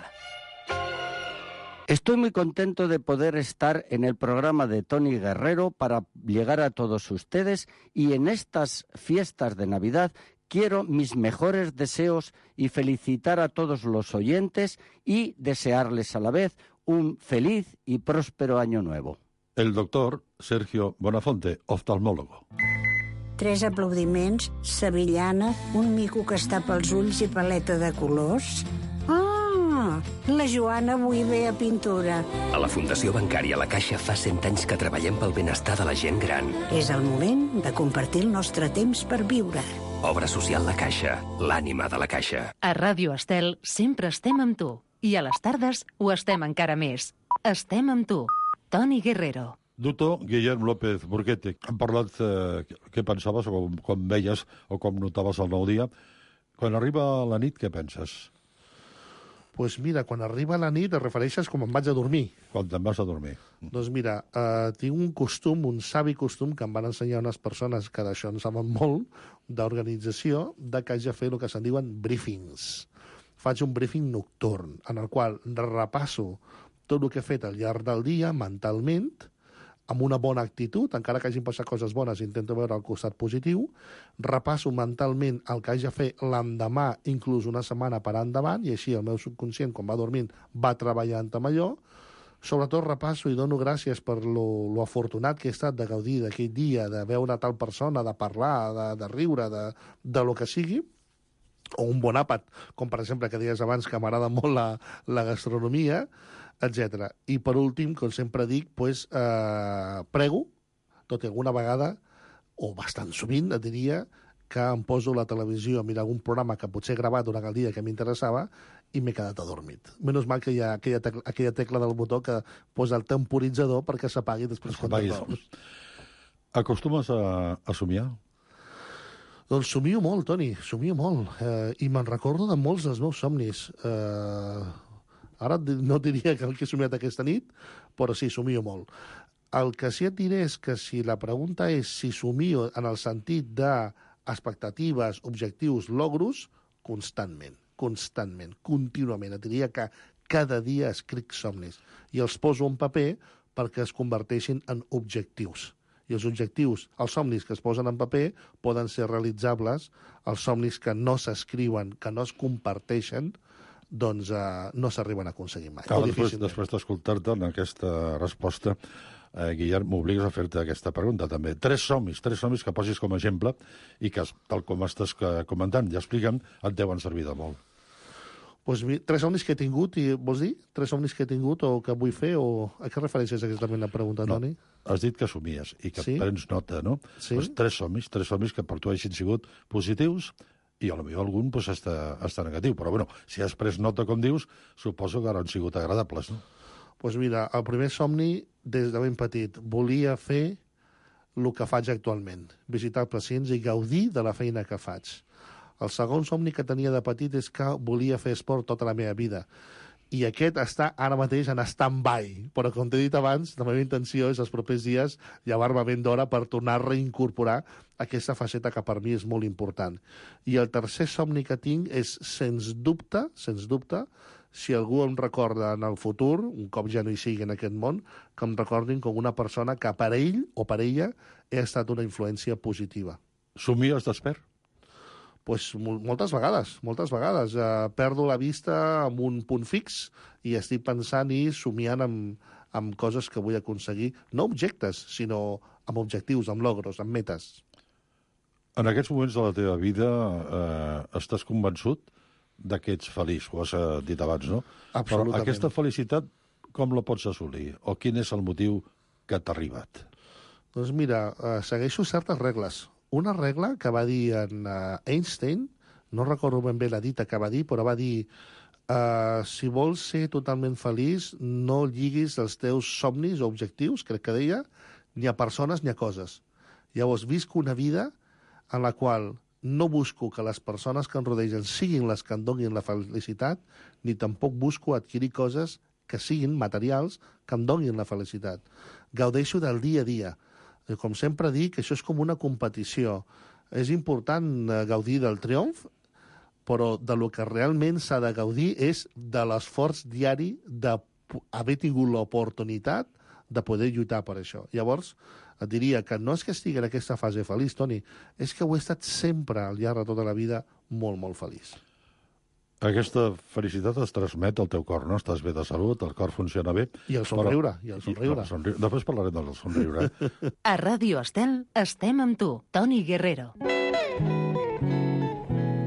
Estoy muy contento de poder estar en el programa de Toni Guerrero para llegar a todos ustedes, y en estas fiestas de Navidad quiero mis mejores deseos y felicitar a todos los oyentes y desearles a la vez un feliz y próspero año nuevo. El doctor Sergio Bonafonte, oftalmòlogo. 3 aplaudiments, sevillana, un mico que es tapa els ulls i paleta de colors. Ah, la Joana avui ve a pintura. A la Fundació Bancària La Caixa fa 100 anys que treballem pel benestar de la gent gran. És el moment de compartir el nostre temps per viure. Obra social La Caixa, l'ànima de la Caixa. A Ràdio Estel sempre estem amb tu. I a les tardes ho estem encara més. Estem amb tu. Toni Guerrero. Doctor Guillem López Burguete, hem parlat què pensaves o com veies o com notaves el nou dia. Quan arriba la nit, què penses? Pues mira, quan arriba la nit et refereixes com em vaig a dormir. Quan te'n vas a dormir. Doncs mira, tinc un costum, un savi costum, que em van ensenyar unes persones que d'això en saben molt, d'organització, de que haig de fer el que se'n diuen briefings. Faig un briefing nocturn, en el qual repasso tot el que he fet al llarg del dia, mentalment, amb una bona actitud, encara que hagin passat coses bones, intento veure el costat positiu, repasso mentalment el que haig de fer l'endemà, inclús una setmana per endavant, i així el meu subconscient, quan va dormint, va treballant amb allò. Sobretot repasso i dono gràcies per lo afortunat que he estat de gaudir d'aquell dia, de veure tal persona, de parlar, de riure, de lo que sigui, o un bon àpat, com per exemple que deies abans que m'agrada molt la gastronomia, etc. I per últim, com sempre dic, pues, prego, tot i alguna vegada, o bastant sovint, et diria, que em poso la televisió a mirar algun programa que potser he gravat durant el dia que m'interessava i m'he quedat adormit. Menys mal que hi ha aquella tecla del botó que posa el temporitzador perquè s'apagui després quan t'adorms. Acostumes a somiar? Doncs somio molt, Toni, somio molt. I me'n recordo de molts dels meus somnis. Ara no diria que el que he somiat aquesta nit, però sí, somio molt. El que sí et diré és que si la pregunta és si somio en el sentit d'expectatives, objectius, logros, constantment, contínuament. Et diria que cada dia escric somnis i els poso en paper perquè es converteixin en objectius. I els objectius, els somnis que es posen en paper, poden ser realitzables. Els somnis que no s'escriuen, que no es comparteixen, doncs no s'arriben a aconseguir mai. Després d'escoltar-te en aquesta resposta, Guillem, m'obligues a fer-te aquesta pregunta també. Tres somnis que posis com a exemple i que, tal com estàs comentant i explicant, et deuen servir de molt. Pues, 3 somnis que he tingut, i vols dir? 3 somnis que he tingut o que vull fer? O a què refereixes exactament la pregunta, Toni? Has dit que somies i que prens nota, no? Sí. Pues 3 somnis que per tu hagin sigut positius i potser algun està negatiu. Però, bueno, si has pres nota, com dius, suposo que han sigut agradables, no? Doncs mira, el primer somni, des de ben petit, volia fer el que faig actualment, visitar pacients i gaudir de la feina que faig. El segon somni que tenia de petit és que volia fer esport tota la meva vida. I aquest està ara mateix en stand-by. Però, com t'he dit abans, la meva intenció és els propers dies llevar-me ben d'hora per tornar a reincorporar aquesta faceta que per mi és molt important. I el tercer somni que tinc és, sens dubte, si algú em recorda en el futur, un cop ja no hi sigui en aquest món, que em recordin com una persona que per ell o per ella he estat una influència positiva. Somies despert? Pues moltes vegades. Perdo la vista amb un punt fix i estic pensant i somiant amb coses que vull aconseguir. No objectes, sinó amb objectius, amb logros, amb metes. En aquests moments de la teva vida estàs convençut que ets feliç, ho has dit abans, no? Absolutament. Però aquesta felicitat com la pots assolir? O quin és el motiu que t'ha arribat? Doncs mira, segueixo certes regles. Una regla que va dir en Einstein, no recordo ben bé la dita que va dir, però va dir si vols ser totalment feliç, no lliguis els teus somnis o objectius, crec que deia, ni a persones ni a coses. Llavors, visc una vida en la qual no busco que les persones que em rodegen siguin les que em donin la felicitat, ni tampoc busco adquirir coses que siguin materials que em donin la felicitat. Gaudeixo del dia a dia. Com sempre dic, això és com una competició. És important gaudir del triomf, però de lo que realment s'ha de gaudir és de l'esforç diari d'haver tingut l'oportunitat de poder lluitar per això. Llavors, et diria que no és que estigui en aquesta fase feliç, Toni, és que ho he estat sempre, al llarg de tota la vida, molt, molt feliç. Aquesta felicitat es transmet al teu cor, no? Estàs bé de salut, el cor funciona bé. I el somriure, Després parlarem del somriure. A Ràdio Estel estem amb tu, Toni Guerrero.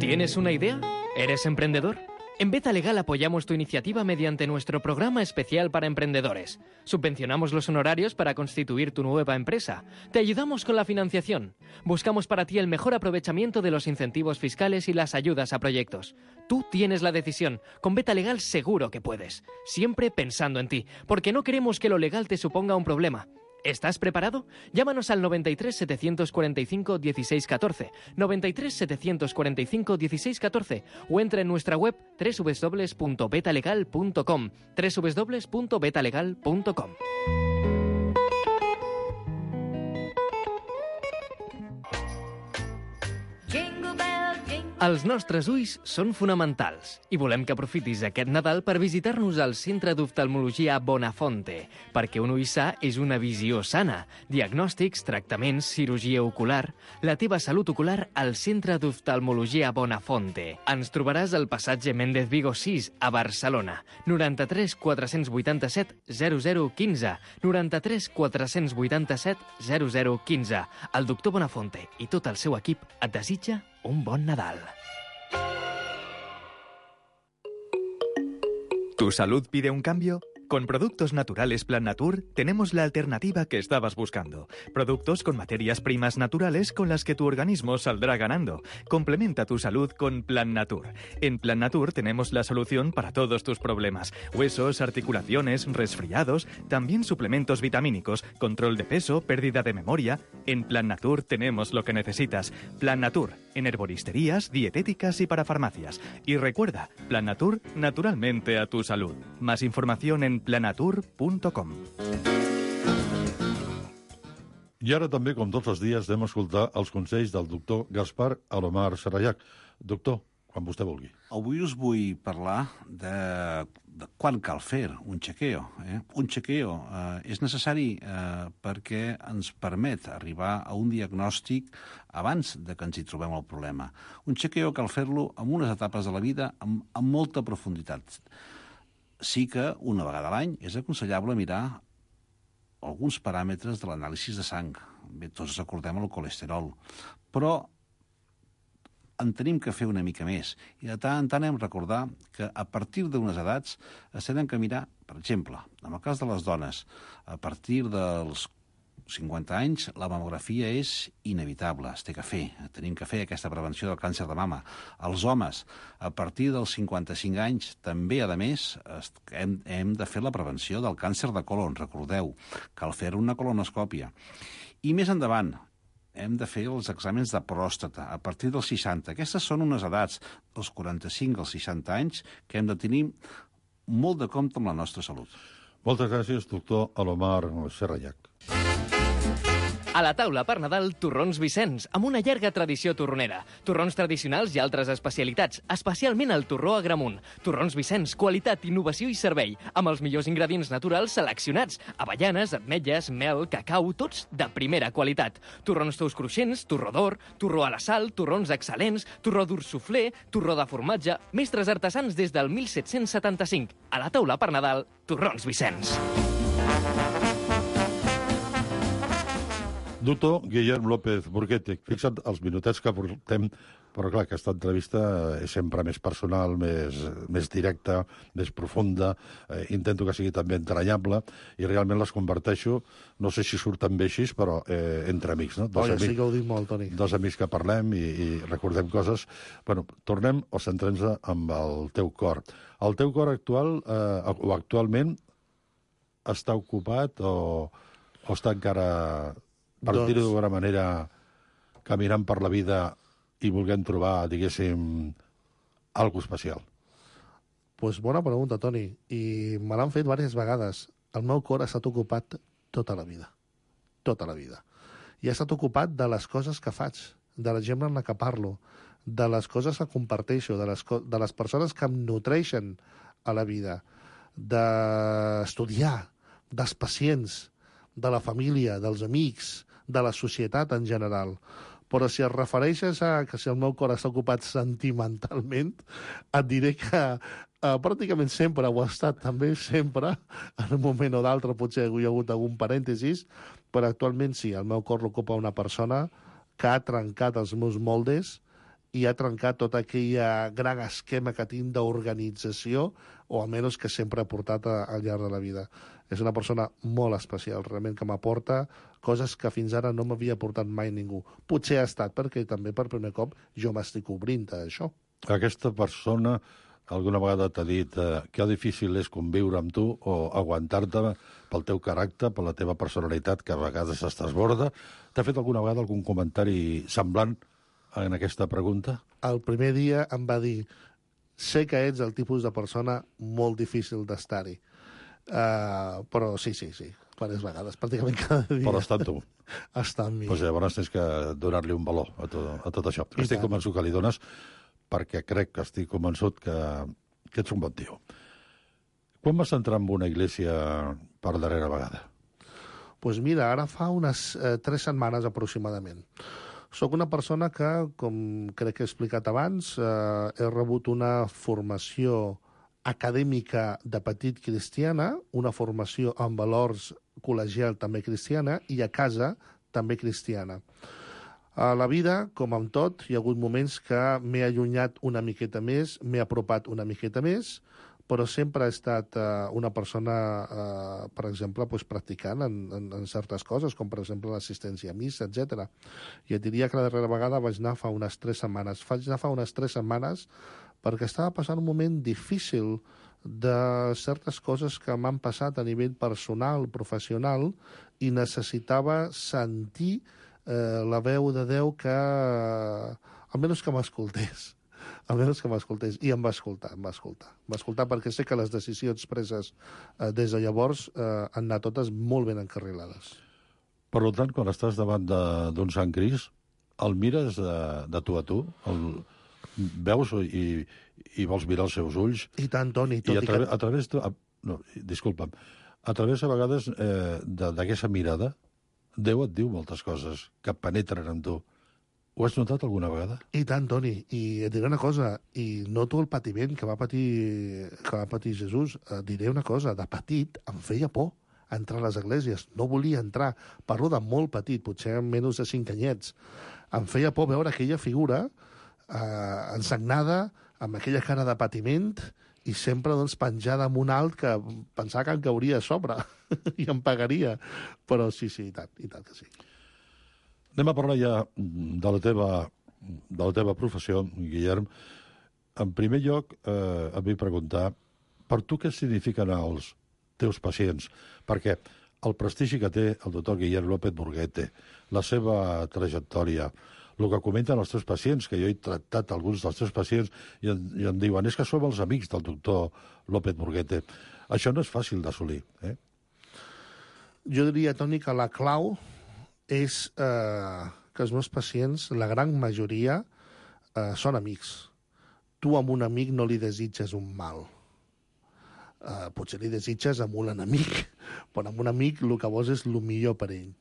¿Tienes una idea? ¿Eres emprendedor? En Beta Legal apoyamos tu iniciativa mediante nuestro programa especial para emprendedores. Subvencionamos los honorarios para constituir tu nueva empresa. Te ayudamos con la financiación. Buscamos para ti el mejor aprovechamiento de los incentivos fiscales y las ayudas a proyectos. Tú tienes la decisión. Con Beta Legal seguro que puedes. Siempre pensando en ti, porque no queremos que lo legal te suponga un problema. ¿Estás preparado? Llámanos al 93 745 1614, 93 745 1614 o entra en nuestra web www.betalegal.com, www.betalegal.com. Els nostres ulls són fonamentals i volem que aprofitis aquest Nadal per visitar-nos al Centre d'Oftalmologia Bonafonte, perquè un ull sa és una visió sana. Diagnòstics, tractaments, cirurgia ocular... La teva salut ocular al Centre d'Oftalmologia Bonafonte. Ens trobaràs al passatge Méndez Vigo 6, a Barcelona. 93 487 0015. 93 487 0015. El doctor Bonafonte i tot el seu equip et desitja un bon Nadal. ¿Tu salud pide un cambio? Con Productos Naturales Plan Natur tenemos la alternativa que estabas buscando. Productos con materias primas naturales con las que tu organismo saldrá ganando. Complementa tu salud con Plan Natur. En Plan Natur tenemos la solución para todos tus problemas. Huesos, articulaciones, resfriados, también suplementos vitamínicos, control de peso, pérdida de memoria. En Plan Natur tenemos lo que necesitas. Plan Natur, en herboristerías, dietéticas y para farmacias. Y recuerda, Plan Natur, naturalmente a tu salud. Más información en planatur.com. I ara també, com tots els dies, anem a escoltar els consells del doctor Gaspar Alomar Sarayac. Doctor, quan vostè vulgui. Avui us vull parlar de quan cal fer un chequeo. Un chequeo és necessari perquè ens permet arribar a un diagnòstic abans de que ens hi trobem el problema. Un chequeo cal fer-lo en unes etapes de la vida amb molta profunditat. Sí que una vegada a l'any és aconsellable mirar alguns paràmetres de l'anàlisi de sang. Bé, tots recordem el colesterol, però en tenim que fer una mica més. I de tant en tant hem de recordar que a partir d'unes edats es tenen que mirar, per exemple, en el cas de les dones, a partir dels 50 anys, la mamografia és inevitable, es té que fer. Tenim que fer aquesta prevenció del càncer de mama. Els homes, a partir dels 55 anys, també, a més, hem de fer la prevenció del càncer de colon. Recordeu, cal fer una colonoscòpia. I més endavant, hem de fer els exàmens de pròstata a partir dels 60. Aquestes són unes edats, dels 45 als 60 anys, que hem de tenir molt de compte amb la nostra salut. Moltes gràcies, doctor Alomar Sarayac. A la taula per Nadal, torrons Vicenç, amb una llarga tradició torronera. Torrons tradicionals i altres especialitats, especialment el torró Agramunt. Torrons Vicenç, qualitat, innovació i servei, amb els millors ingredients naturals seleccionats. Avellanes, ametlles, mel, cacau, tots de primera qualitat. Torrons tous cruixents, torró d'or, torró a la sal, torrons excel·lents, torró dur suflé, torró de formatge, mestres artesans des del 1775. A la taula per Nadal, torrons Vicenç. Doctor Guillem López Burguete, fixa't els minutets que portem, però clar, aquesta entrevista és sempre més personal, més directa, més profunda, intento que sigui també entranyable, i realment les converteixo, no sé si surten bé així, però entre amics, no? Sí que ho dic molt, Toni. Dos amics que parlem i recordem coses. Bueno, tornem o centrem-nos amb el teu cor. El teu cor actual, o actualment, està ocupat o està encara, per dir-ho d'una manera, caminant per la vida i volguem trobar, diguéssim, alguna especial? Pues bona pregunta, Toni, i me l'han fet diverses vegades. El meu cor ha estat ocupat tota la vida. Tota la vida. I ha estat ocupat de les coses que faig, de la gent amb la que parlo, de les coses que comparteixo, de les persones que em nutreixen a la vida, d'estudiar, dels pacients, de la família, dels amics, de la societat en general. Però si es refereixes a que si el meu cor està ocupat sentimentalment, et diré que pràcticament sempre ho ha estat, també sempre, en un moment o d'altre potser hi ha hagut algun parèntesis, però actualment sí, el meu cor l'ocupa una persona que ha trencat els meus moldes i ha trencat tot aquell gran esquema que tinc d'organització, o almenys que sempre ha portat al llarg de la vida. És una persona molt especial, realment, que m'aporta coses que fins ara no m'havia portat mai ningú. Potser ha estat perquè també per primer cop jo m'estic obrint a això. Aquesta persona alguna vegada t'ha dit que difícil és conviure amb tu o aguantar-te pel teu caràcter, per la teva personalitat, que a vegades es desborda. T'ha fet alguna vegada algun comentari semblant en aquesta pregunta? El primer dia em va dir: sé que ets el tipus de persona molt difícil d'estar-hi. Però sí, diverses vegades, pràcticament cada dia. Però està amb tu. Està amb mi. Doncs llavors tens que donar-li un valor a tot això. Estic convençut que li dones, perquè estic convençut que ets un bon tio. Quan vas entrar en una església per darrera vegada? Doncs mira, ara fa unes 3 setmanes aproximadament. Soc una persona que, com crec que he explicat abans, he rebut una formació acadèmica de petit cristiana, una formació amb valors col·legial també cristiana, i a casa també cristiana. A la vida, com amb tot, hi ha hagut moments que m'he allunyat una miqueta més, m'he apropat una miqueta més, però sempre he estat una persona, per exemple, practicant en certes coses, com per exemple l'assistència a missa, etc. I et diria que la darrera vegada vaig anar fa unes 3 setmanes. Vaig anar fa unes 3 setmanes perquè estava passant un moment difícil de certes coses que m'han passat a nivell personal, professional, i necessitava sentir la veu de Déu que, almenys que m'escoltés. I em va escoltar. Em va escoltar perquè sé que les decisions preses des de llavors han anat totes molt ben encarrilades. Per tant, quan estàs davant d'un Sant Crist, el mires de tu a tu? Veus i vols mirar els seus ulls? I tant, Toni. I a través disculpa'm. A través, a vegades, d'aquesta mirada, Déu et diu moltes coses que penetren en tu. Ho has notat alguna vegada? I tant, Toni. I et diré una cosa, i noto el patiment que va patir Jesús. Et diré una cosa, de petit em feia por entrar a les esglésies. No volia entrar. Parlo de molt petit, potser amb menys de 5 anyets. Em feia por veure aquella figura ensagnada, amb aquella cara de patiment, i sempre penjada amb un alt que pensava que em cauria a sobre i em pagaria. Però sí, i tant que sí. Anem a parlar ja de la teva professió, Guillem. En primer lloc, et vull preguntar, per tu què signifiquen els teus pacients? Perquè el prestigi que té el doctor Guillem López Burguete, la seva trajectòria, el que comenten els teus pacients, que jo he tractat alguns dels teus pacients i em diuen, és que som els amics del doctor López Burguete. Això no és fàcil d'assolir, eh? Jo diria, Toni, que la clau és que els meus pacients, la gran majoria, són amics. Tu amb un amic no li desitges un mal. Potser li desitges amb un enemic, però amb un amic el que vols és el millor per ell.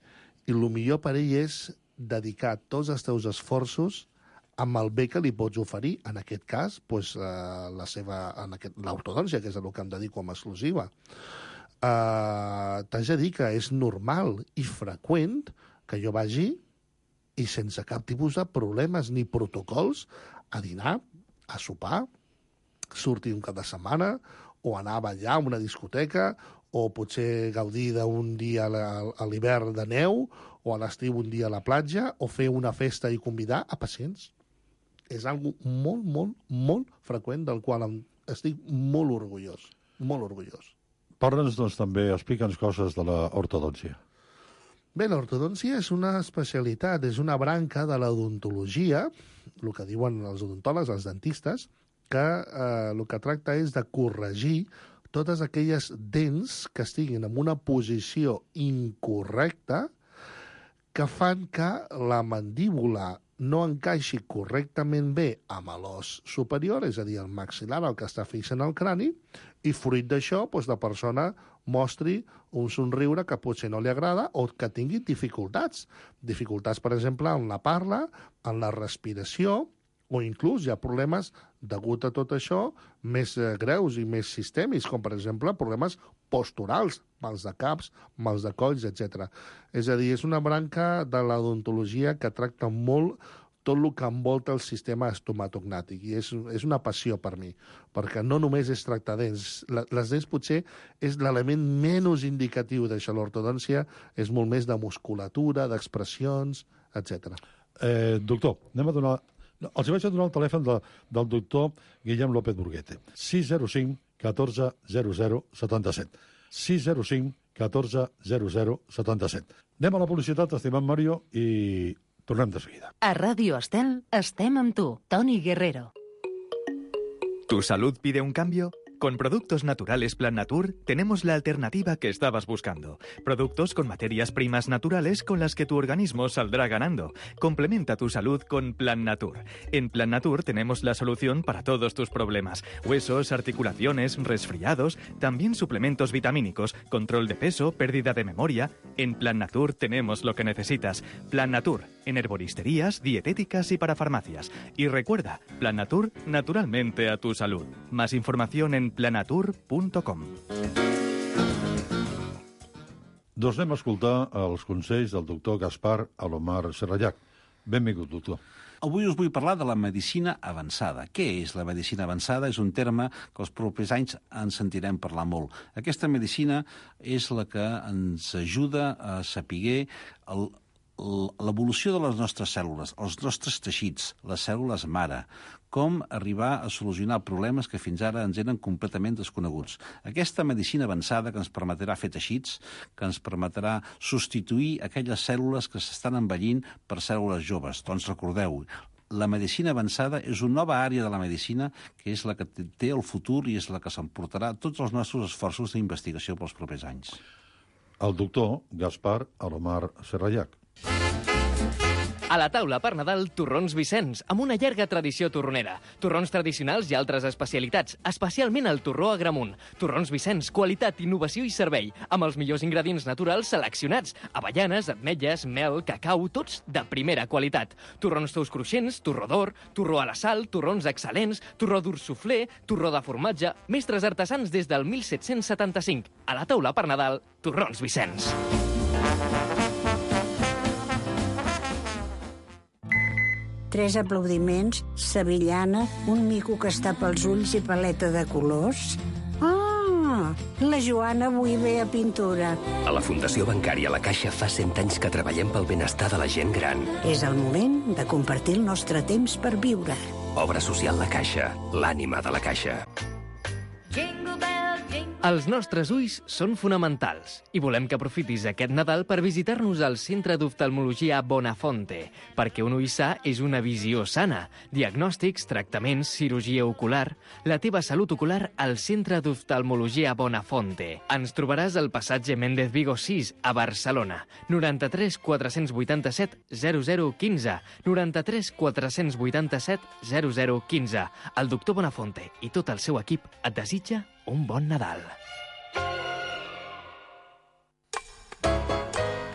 I el millor per ell és dedicar tots els teus esforços amb el bé que li pots oferir, en aquest cas, l'ortodòncia, que és el que em dedico amb exclusiva. T'haig de dir que és normal i freqüent que jo vagi i sense cap tipus de problemes ni protocols a dinar, a sopar, sortir un cap de setmana o anar a ballar a una discoteca o potser gaudir d'un dia a l'hivern de neu o a l'estiu un dia a la platja o fer una festa i convidar a pacients. És algo molt, molt, molt freqüent del qual estic molt orgullós. Molt orgullós. Parla'ns, doncs, també, explica'ns coses de l'ortodòncia. Bé, l'ortodòncia és una especialitat, és una branca de l'odontologia, el que diuen els odontòlegs, els dentistes, que el que tracta és de corregir totes aquelles dents que estiguin en una posició incorrecta que fan que la mandíbula no encaixi correctament bé amb l'os superior, és a dir, el maxil·lar, el que està fix en el crani, i fruit d'això, la persona mostri un somriure que potser no li agrada o que tingui dificultats. Dificultats, per exemple, en la parla, en la respiració, o inclús hi ha problemes, degut a tot això, més greus i més sistèmics, com per exemple problemes posturals, mals de caps, mals de colls, etc. És a dir, és una branca de l'odontologia que tracta molt tot el que envolta el sistema estomatognàtic, i és una passió per mi, perquè no només és tractar dents. Les dents potser és l'element menys indicatiu d'això. L'ortodòncia és molt més de musculatura, d'expressions, etc. Doctor, anem a donar... Els vaig a donar el telèfon del doctor Guillem López Burguete. 605 14 00 77. 605 14 00 77. Anem a la publicitat, estimat Mario, i tornem de seguida. A Ràdio Estel estem amb tu, Toni Guerrero. ¿Tu salud pide un cambio? Con Productos Naturales Plan Natur tenemos la alternativa que estabas buscando. Productos con materias primas naturales con las que tu organismo saldrá ganando. Complementa tu salud con Plan Natur. En Plan Natur tenemos la solución para todos tus problemas. Huesos, articulaciones, resfriados, también suplementos vitamínicos, control de peso, pérdida de memoria. En Plan Natur tenemos lo que necesitas. Plan Natur, en herboristerías, dietéticas y para farmacias. Y recuerda, Plan Natur, naturalmente a tu salud. Más información en planatur.com. Doncs anem a escoltar els consells del doctor Gaspar Alomar Serrallac. Benvingut, doctor. Avui us vull parlar de la medicina avançada. Què és la medicina avançada? És un terme que els propers anys en sentirem parlar molt. Aquesta medicina és la que ens ajuda a saber l'evolució de les nostres cèl·lules, els nostres teixits, les cèl·lules mare, com arribar a solucionar problemes que fins ara ens eren completament desconeguts. Aquesta medicina avançada que ens permetrà fer teixits, que ens permetrà substituir aquelles cèl·lules que s'estan envellint per cèl·lules joves. Doncs recordeu, la medicina avançada és una nova àrea de la medicina que és la que té el futur i és la que s'emportarà tots els nostres esforços d'investigació pels propers anys. El doctor Gaspar Alomar Serrallac. A la taula per Nadal, torrons Vicenç, amb una llarga tradició torronera. Torrons tradicionals i altres especialitats, especialment el torró Agramunt. Torrons Vicenç, qualitat, innovació i servei, amb els millors ingredients naturals seleccionats. Avellanes, ametlles, mel, cacau, tots de primera qualitat. Torrons tous cruixents, torró d'or, torró a la sal, torrons excel·lents, torró dur suflé, torró de formatge, mestres artesans des del 1775. A la taula per Nadal, torrons Vicenç. Tres aplaudiments, sevillana, un mico que està pels ulls i paleta de colors. Ah, la Joana avui ve a pintura. A la Fundació Bancària La Caixa fa 100 anys que treballem pel benestar de la gent gran. És el moment de compartir el nostre temps per viure. Obra social La Caixa, l'ànima de la Caixa. Els nostres ulls són fonamentals i volem que aprofitis aquest Nadal per visitar-nos al Centre d'Oftalmologia Bonafonte, perquè un ull sa és una visió sana. Diagnòstics, tractaments, cirurgia ocular... La teva salut ocular al Centre d'Oftalmologia Bonafonte. Ens trobaràs al passatge Méndez Vigo 6, a Barcelona. 93 487 0015. 93 487 0015. El doctor Bonafonte i tot el seu equip et desitja un bon Nadal.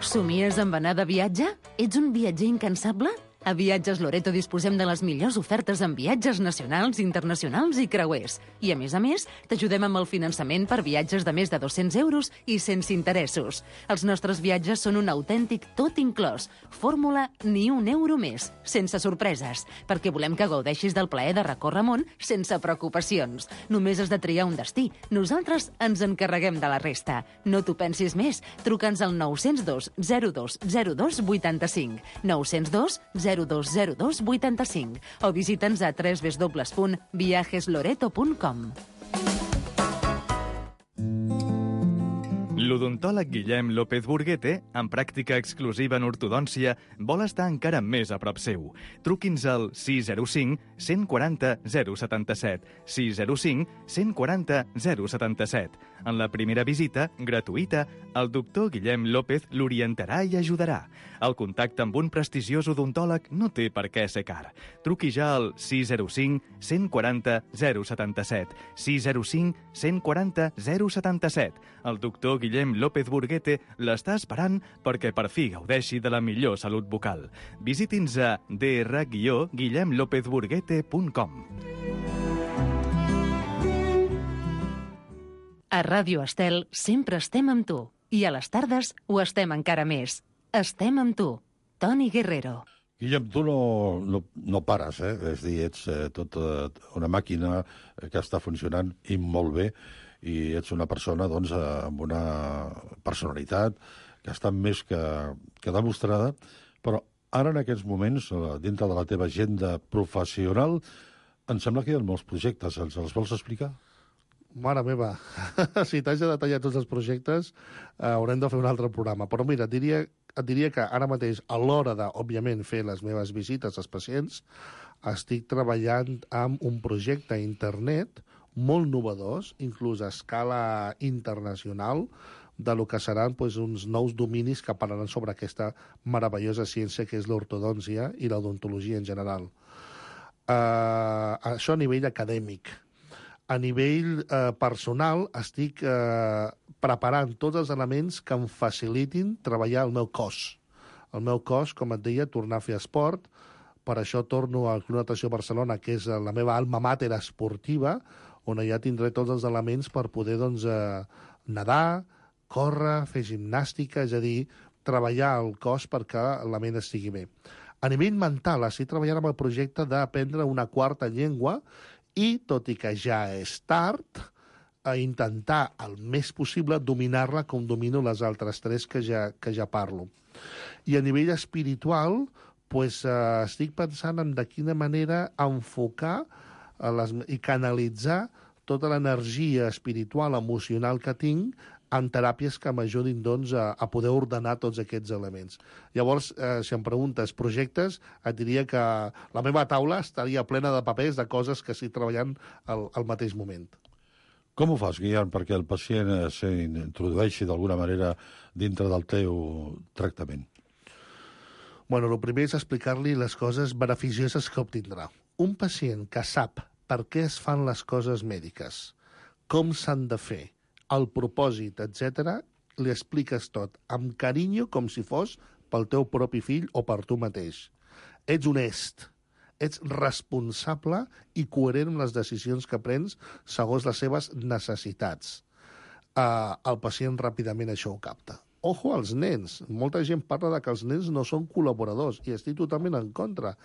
Somies amb anar de viatge? Ets un viatger incansable? A Viatges Loreto disposem de les millors ofertes en viatges nacionals, internacionals i creuers. I, a més, t'ajudem amb el finançament per viatges de més de 200 euros i sense interessos. Els nostres viatges són un autèntic tot inclòs. Fórmula ni un euro més, sense sorpreses, perquè volem que gaudeixis del plaer de recórrer món sense preocupacions. Només has de triar un destí. Nosaltres ens encarreguem de la resta. No t'ho pensis més. Truca'ns al 902 02 02 85. 902 0202 85 o visita'ns a www.viajesloreto.com. L'odontòleg Guillem López Burguete, amb pràctica exclusiva en ortodòncia, vol estar encara més a prop seu. Truqui'ns al 605 140 077, 605 140 077. En la primera visita, gratuïta, el doctor Guillem López l'orientarà i ajudarà. El contacte amb un prestigiós odontòleg no té per què ser car. Truqui ja al 605 140 077, 605 140 077. El doctor Guillem López Burguete l'està esperant perquè per fi gaudeixi de la millor salut bucal. Visiti'ns a dr-guillemlopezburguete.com. A Ràdio Estel sempre estem amb tu. I a les tardes ho estem encara més. Estem amb tu, Toni Guerrero. Guillem, tu no pares, És a dir, ets tota una màquina que està funcionant i molt bé, i ets una persona, doncs, amb una personalitat que està més que demostrada, però ara, en aquests moments, dintre de la teva agenda professional, em sembla que hi ha molts projectes. Els vols explicar? Mare meva, si t'haig de detallar tots els projectes, haurem de fer un altre programa. Però mira, et diria que ara mateix, a l'hora de, òbviament, fer les meves visites als pacients, estic treballant amb un projecte a internet molt novedós, inclús a escala internacional, de lo que seran uns nous dominis que parlaran sobre aquesta meravellosa ciència que és l'ortodòncia i l'odontologia en general. Això a nivell acadèmic. A nivell personal, estic preparant tots els elements que em facilitin treballar el meu cos. El meu cos, com et deia, tornar a fer esport. Per això torno al Club Natació Barcelona, que és la meva alma mater esportiva, on ja tindré tots els elements per poder nedar, córrer, fer gimnàstica, és a dir, treballar el cos perquè la ment estigui bé. A nivell mental, estic treballant amb el projecte d'aprendre una quarta llengua i, tot i que ja és tard, a intentar el més possible dominar-la com domino les altres tres que ja parlo. I a nivell espiritual, estic pensant en de quina manera enfocar i canalitzar tota l'energia espiritual, emocional que tinc en teràpies que m'ajudin a poder ordenar tots aquests elements. Llavors, si em preguntes projectes, et diria que la meva taula estaria plena de papers de coses que estic treballant al mateix moment. Com ho fas, Guillem, perquè el pacient s'introdueixi d'alguna manera dintre del teu tractament? Bueno, el primer és explicar-li les coses beneficioses que obtindrà. Un pacient que sap per què es fan les coses mèdiques, com s'han de fer, el propòsit, etc., li expliques tot, amb carinyo, com si fos pel teu propi fill o per tu mateix. Ets honest, ets responsable i coherent amb les decisions que prens segons les seves necessitats. El pacient ràpidament això ho capta. Ojo als nens. Molta gent parla de que els nens no són col·laboradors i estic totalment en contra.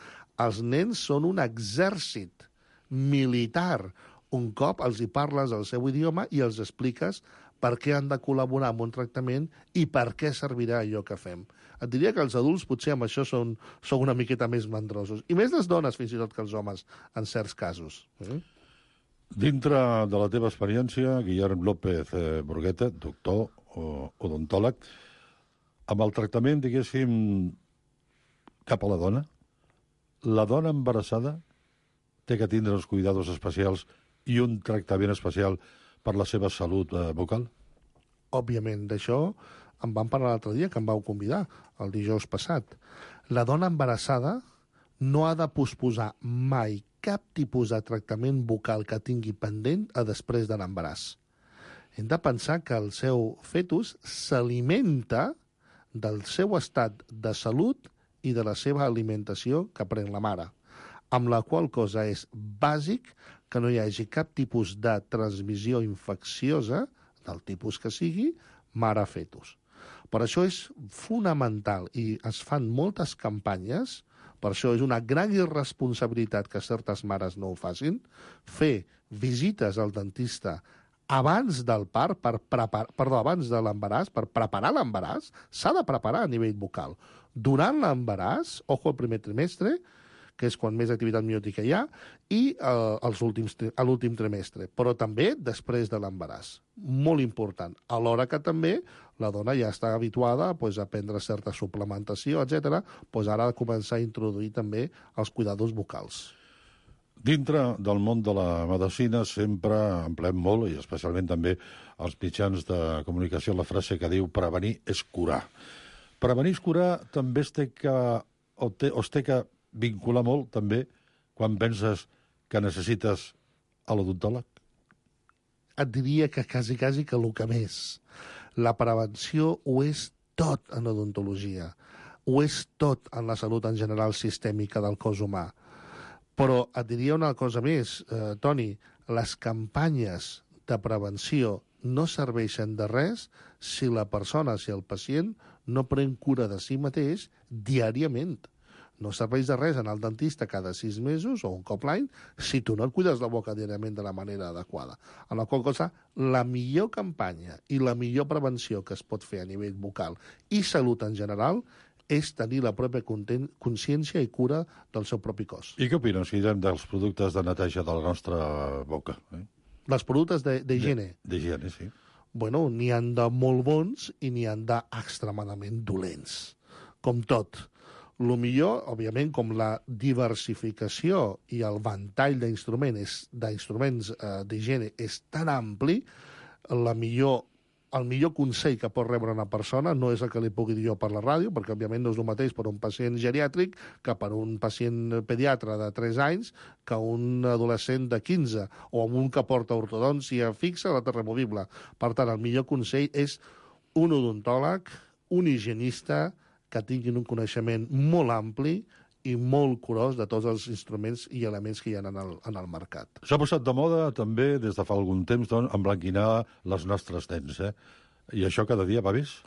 Els nens són un exèrcit militar. Un cop els hi parles el seu idioma i els expliques per què han de col·laborar amb un tractament i per què servirà allò que fem. Et diria que els adults potser amb això són una miqueta més mandrosos. I més les dones, fins i tot, que els homes, en certs casos. Dintre de la teva experiència, Guillem López Burgueta, doctor odontòleg, amb el tractament, diguéssim, cap a la dona embarassada té que tindre els cuidados especials i un tractament especial per la seva salut bucal? Òbviament, d'això em van parlar l'altre dia, que em vau convidar, el dijous passat. La dona embarassada no ha de posposar mai cap tipus de tractament bucal que tingui pendent a després de l'embaràs. Hem de pensar que el seu fetus s'alimenta del seu estat de salut i de la seva alimentació que pren la mare, amb la qual cosa és bàsic que no hi hagi cap tipus de transmissió infecciosa, del tipus que sigui, mare-fetus. Per això és fonamental, i es fan moltes campanyes, per això és una gran irresponsabilitat que certes mares no ho facin, fer visites al dentista abans del part, abans de l'embaràs, per preparar l'embaràs, s'ha de preparar a nivell bucal. Durant l'embaràs, ojo al primer trimestre, que és quan més activitat miòtica hi ha, i a l'últim trimestre, però també després de l'embaràs. Molt important. Alhora que també la dona ja està habituada a prendre certa suplementació, etc., ara ha de començar a introduir també els cuidados bucals. Dintre del món de la medicina sempre empleem molt, i especialment també als mitjans de comunicació, la frase que diu prevenir és curar. Prevenir és curar també es té que vincular molt també quan penses que necessites a l'odontòleg? Et diria que quasi que el que més. La prevenció ho és tot en odontologia. Ho és tot en la salut en general sistèmica del cos humà. Però et diria una cosa més, Toni, les campanyes de prevenció no serveixen de res si la persona, si el pacient, no pren cura de si mateix diàriament. No serveix de res anar al dentista cada 6 mesos o un cop l'any si tu no et cuides la boca diàriament de la manera adequada. En la qual cosa, la millor campanya i la millor prevenció que es pot fer a nivell bucal i salut en general és tenir la pròpia consciència i cura del seu propi cos. I què opines, Guillem, dels productes de neteja de la nostra boca? Els productes d'higiene? D'higiene, sí. Bueno, n'hi han de molt bons i n'hi han d'extremadament dolents. Com tot. Lo millor, òbviament, com la diversificació i el ventall d'instruments d'higiene és tan ampli, el millor consell que pot rebre una persona no és el que li pugui dir jo per la ràdio, perquè, òbviament, no és el mateix per un pacient geriàtric que per un pacient pediatre de 3 anys que un adolescent de 15 o amb un que porta ortodòncia fixa o la removible. Per tant, el millor consell és un odontòleg, un higienista que tinguin un coneixement molt ampli i molt curós de tots els instruments i elements que hi ha en el mercat. S'ha posat de moda també, des de fa algun temps, doncs, emblanquinar les nostres dents, I això cada dia va més?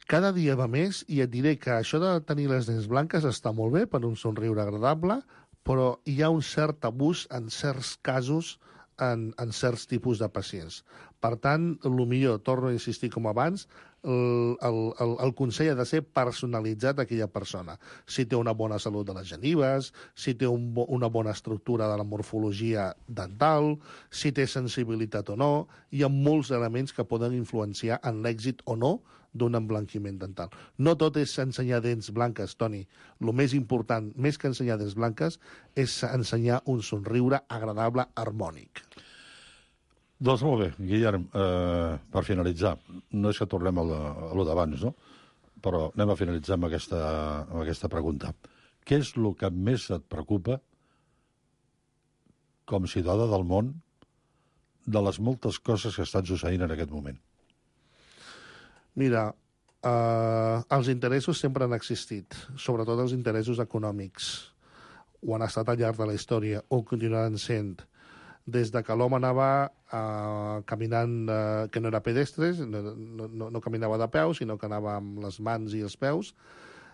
Cada dia va més, i et diré que això de tenir les dents blanques està molt bé per un somriure agradable, però hi ha un cert abús en certs casos en certs tipus de pacients. Per tant, el millor, torno a insistir com abans, el consell ha de ser personalitzat a aquella persona. Si té una bona salut de les genives, si té una bona estructura de la morfologia dental, si té sensibilitat o no, hi ha molts elements que poden influenciar en l'èxit o no d'un emblanquiment dental. No tot és ensenyar dents blanques, Toni. El més important, més que ensenyar dents blanques, és ensenyar un somriure agradable, harmònic. Doncs molt bé, Guillem, per finalitzar, no és que tornem a lo d'abans, no? Però anem a finalitzar amb aquesta pregunta. Què és el que més et preocupa, com a ciutadà del món, de les moltes coses que estan succeint en aquest moment? Mira, els interessos sempre han existit, sobretot els interessos econòmics. Ho han estat al llarg de la història, o continuaran sent. Des de que l'home anava caminant, que no era pedestres, no caminava de peus, sinó que anava amb les mans i els peus,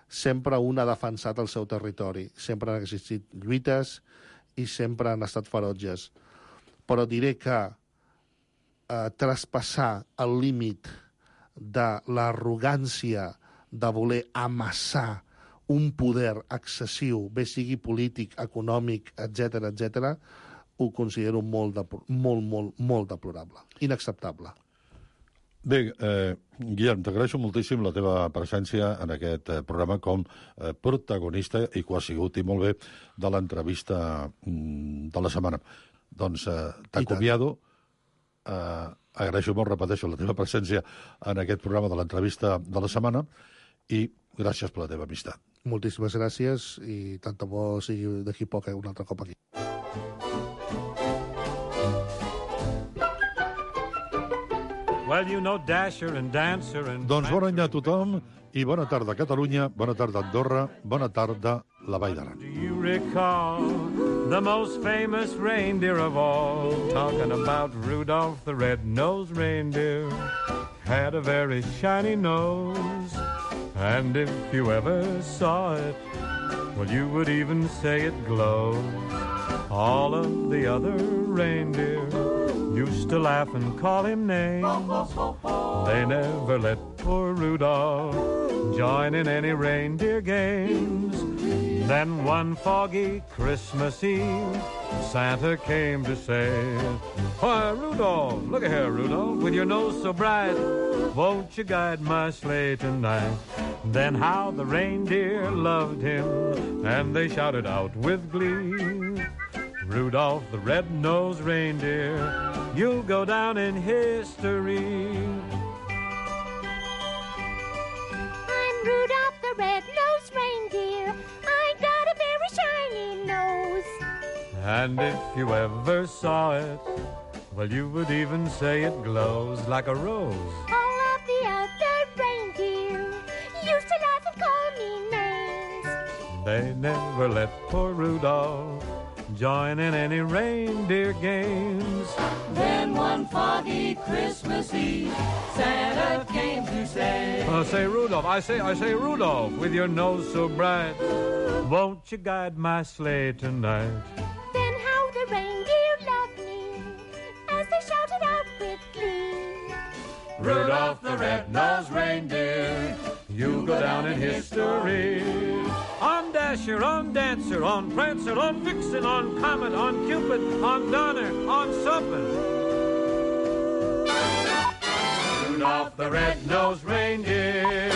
sempre un ha defensat el seu territori. Sempre han existit lluites i sempre han estat ferotges. Però diré que traspassar el límit de l'arrogància de voler amassar un poder excessiu, bé sigui polític, econòmic, etc., ho considero molt deplorable, inacceptable. Bé, Guillem, t'agraeixo moltíssim la teva presència en aquest programa com protagonista, i que ho ha sigut, i molt bé, de l'entrevista de la setmana. Doncs t'acomiado, agraeixo molt, repeteixo, la teva presència en aquest programa de l'entrevista de la setmana, i gràcies per la teva amistat. Moltíssimes gràcies, i tant de bo sigui d'aquí poc un altre cop aquí. Well, you know Dasher and Dancer and... Doncs bon any a tothom i bona tarda Catalunya, bona tarda Andorra, bona tarda la Vall d'Aran. Do you recall the most famous reindeer of all? Talking about Rudolph the red-nosed reindeer. Had a very shiny nose, and if you ever saw it, well, you would even say it glows. All of the other reindeer used to laugh and call him names. They never let poor Rudolph join in any reindeer games. Then one foggy Christmas Eve, Santa came to say, "Why, Rudolph, look here, Rudolph, with your nose so bright, won't you guide my sleigh tonight?" Then how the reindeer loved him, and they shouted out with glee, "Rudolph the red-nosed reindeer, you'll go down in history." I'm Rudolph the red-nosed reindeer. I got a very shiny nose. And if you ever saw it, well, you would even say it glows like a rose. All of the other reindeer used to laugh and call me names. They never let poor Rudolph join in any reindeer games. Then one foggy Christmas Eve, Santa came to say, Say Rudolph, I say Rudolph, with your nose so bright, Won't you guide my sleigh tonight? Then how the reindeer loved me as they shouted out with glee. Rudolph the red-nosed reindeer, you go down in history. On Dasher, on Dancer, on Prancer, on Vixen, on Comet, on Cupid, on Donner, on Suppin'. Rudolph the red-nosed reindeer.